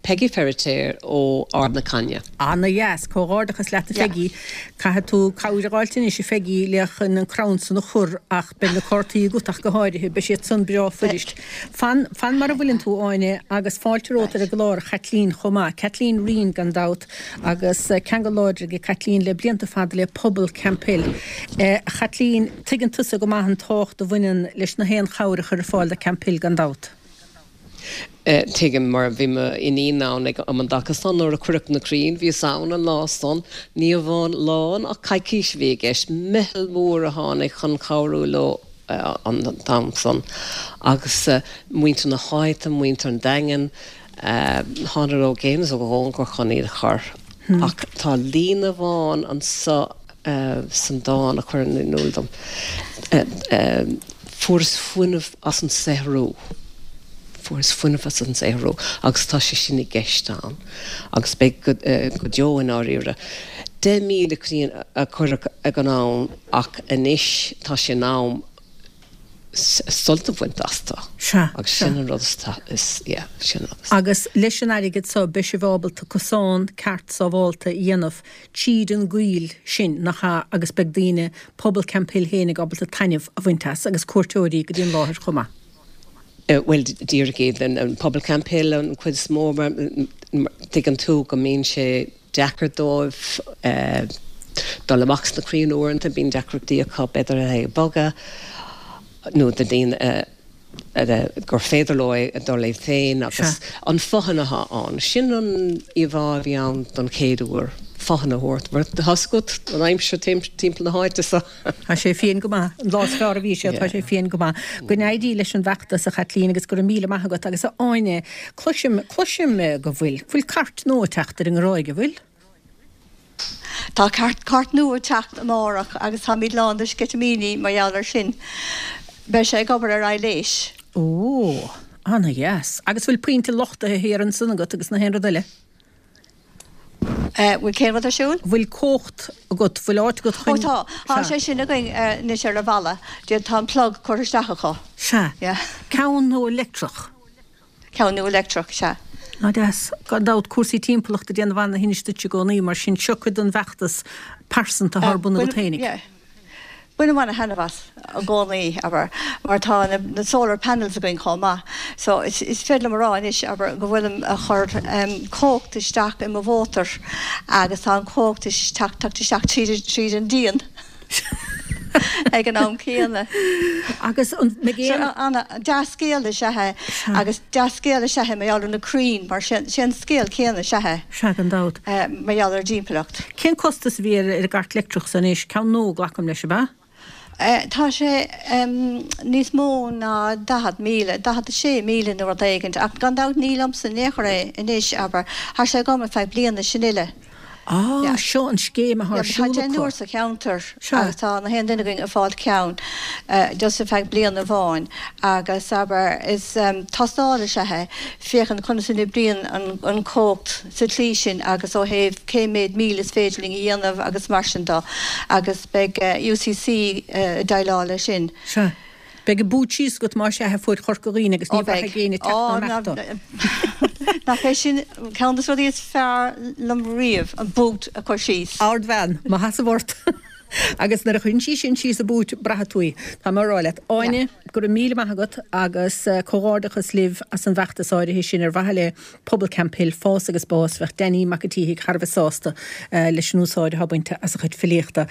Peggy Feiritéar ó Ard na Caithne. Ana-dheas. Comhghairdeachas leat a Pheggy. Caithfidh tú cabhair a dh'fháilt anois a Pheggy le chun an crann san a chur ach beidh na cártaí agat ach go háirithe. Beidh siad san breá fuirist. Fan, fan mar a bhfuileann tú a Áine agus fáilte romhat ar an gclár a Chaitlín chomh maith. Caitlín Reen gan dabht agus ceangal láidir ag Caitlín le blianta fada le pobal Camphill. A Chaitlín, tuigeann tusa go maith an tábhacht a bhaineann leis na haon chabhair a chur ar fáil do Camphill gan dabht. Tuigim, mar bhí m'iníon ann ag um an dtaca san nuair a cuireadh na crainn, bhíos ann an lá san, ní amháin lá ach coicís a bhí i gceist, meitheal mór a tháinig chun cabhrú leo. an t-am san agus muintir na háite, muintir an Daingin, thánadar ó gcéin is ó chóngar chun iad a chur. Ach tá líne amháin anso san dán a chuireann in iúl dom, Fuaireas fuinneamh as an saothrú. Fuaireas fuinneamh as an saothrú agus tá sé sin i gceist ann agus beidh go deo i ndáiríre. 10,000 crainn a cuireadh ag an am ach anois tá sé in am sult a bhaint astu Sea, agus sea. sin an rud is, yeah, sin an rud is. Agus leis an airgead so beidh sibh ábalta cosán ceart sábhálta a dhéanamh tríd an gcoill sin, nach ea, agus beidh daoine, pobal Camphill fhéinig ábalta taitneamh a bhaint as agus cuairteoirí go dtí an láthair chomh maith. Bhuel, díreach iad, an pobal Camphill an chuid is mó, mar tuigeann tú go mbíonn sé deacair dóibh dul amach sna crainn uaireanta, bíonn deacrachtaí acu b'fhéidir le é a bhogadh nó do daoine gur féidir leo é dul iad féin agus an fothain atá ann. Sin an íomhá a bhí ann don chéad uair, fothain a thabhairt, mar tá 'fhios agat an aimsir timpeall na háite so. Tá sé fiain go maith. An lá is fearr a bhí sé, tá sé fiain go maith. Go n-éirí leis an bhfeachtas, a Chaitlín, agus go raibh míle maith agat. Agus a Áine, cloisim, cloisim go bhfuil, bhfuil cairt nua ag teacht ar an nGráig, an bhfuil? Tá cairt, cairt nua ag teacht amárach agus táimid lán de sceitimíní mar gheall air sin. Beidh sé ag obair ar aibhléis. Ó, ana-dheas. Agus bhfuil pointe luchtaithe thiar ansan agat agus na haon rud eile? Bhfuil cén rud ar siúl? Bhfuil cumhacht agat, bhfuil áit agat chun. Ó tá, tá sé sin againn anois ar an bhalla. Tá an plug curtha isteach acu. Sea. Ceann nua leictreach. Ceann nua leictreach, sea. Ná deas. Gan dabht, cúrsaí timpeallachta ag déanamh ana-thinnis duit i gcónaí, mar sin seo cuid den bhfeachtas pearsanta atá ar bun agat féinig. Bainim ana-thaitneamh as i gcónaí, abair, mar tá na solar panels againn chomh maith. So is féidir liom a rá anois, abair, go bhfuilim a chur cumhacht isteach i mo mhótar agus tá an cumhacht ag teacht isteach tríd an díon ag an am céanna. Agus an mbeidh aon. So ana dea-scéal is ea é agus dea-scéal is ea é mar gheall ar na crainn mar sé an scéal céanna is ea é. Sea, gan dabht. Mar gheall ar an dtimpeallacht. Cén costas a bhí ar an gcairt leictreach san anois? Ceann nua, glacaim leis, ab ea? Tá sé níos mó ná 40,000, 46,000 nó rud éigint, ach gan dabht ní liomsa in aon chor é anois, abair. Tá sé agam ar feadh bliana, sin uile. Ah, seo an scéim atá ar siúl acu. Tá deichniúr sa cheantar agus tá na haon duine againn ag fáilt ceann just ar feadh bliana amháin agus abair is tástáil is ea é féachaint conas a n-oibríonn an chumhacht sa tslí sin agus ó thaobh cé méid míle is féidir linn a dhéanamh agus mar sin de agus beidh UCC ag déileáil leis sin. Sea. Beidh an boot síos agat más ea a fuaid Chorca Dhuibhne agus ní bhraithfidh éinne teacht ná imeacht dó. Nach é sin ceann de na rudaí is fearr liom riamh, an boot a chur síos. Ardbhean, mo sheasamh ort. Agus nuair a chuireann sí sin síos an boot, braithfidh tú í. Tá mé á rá leat. Áine, go raibh míle maith agat agus comhghairdeachas libh as an bhfeachtas áirithe sin ar mhaithe le Pobal Camphill, fás agus bás, bheadh Danny Mac an tSíthigh thar a bheith sásta leis an úsáid atá bainte as a chuid filíochta.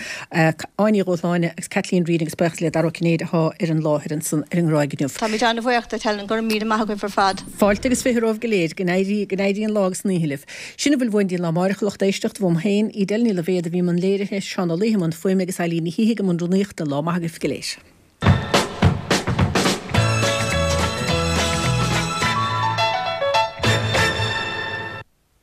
Áine Ní Dhúshláine agus Kathleen Reid agus buíochas le Dara Ó Cinnéide atá ar an láthair ansan ar an nGráig inniu. Táimid an-bhuíoch duit Helen, go raibh míle maith agaibh ar fad. Fáilte agus 20 romhaibh go léir, go n-éirí, go n-éirí an lá agus an oíche libh. Sin a bhfuil uainn dtí an lá amáireach, a lucht éisteachta, uaim féin, Edel Ní Loibhéad a bhí i mbun léirithe, Seán Ó Laoithe i mbun fuaime agus Eileen Ní Shíthigh i mbun rúnaíochta. Lá maith agaibh go léir.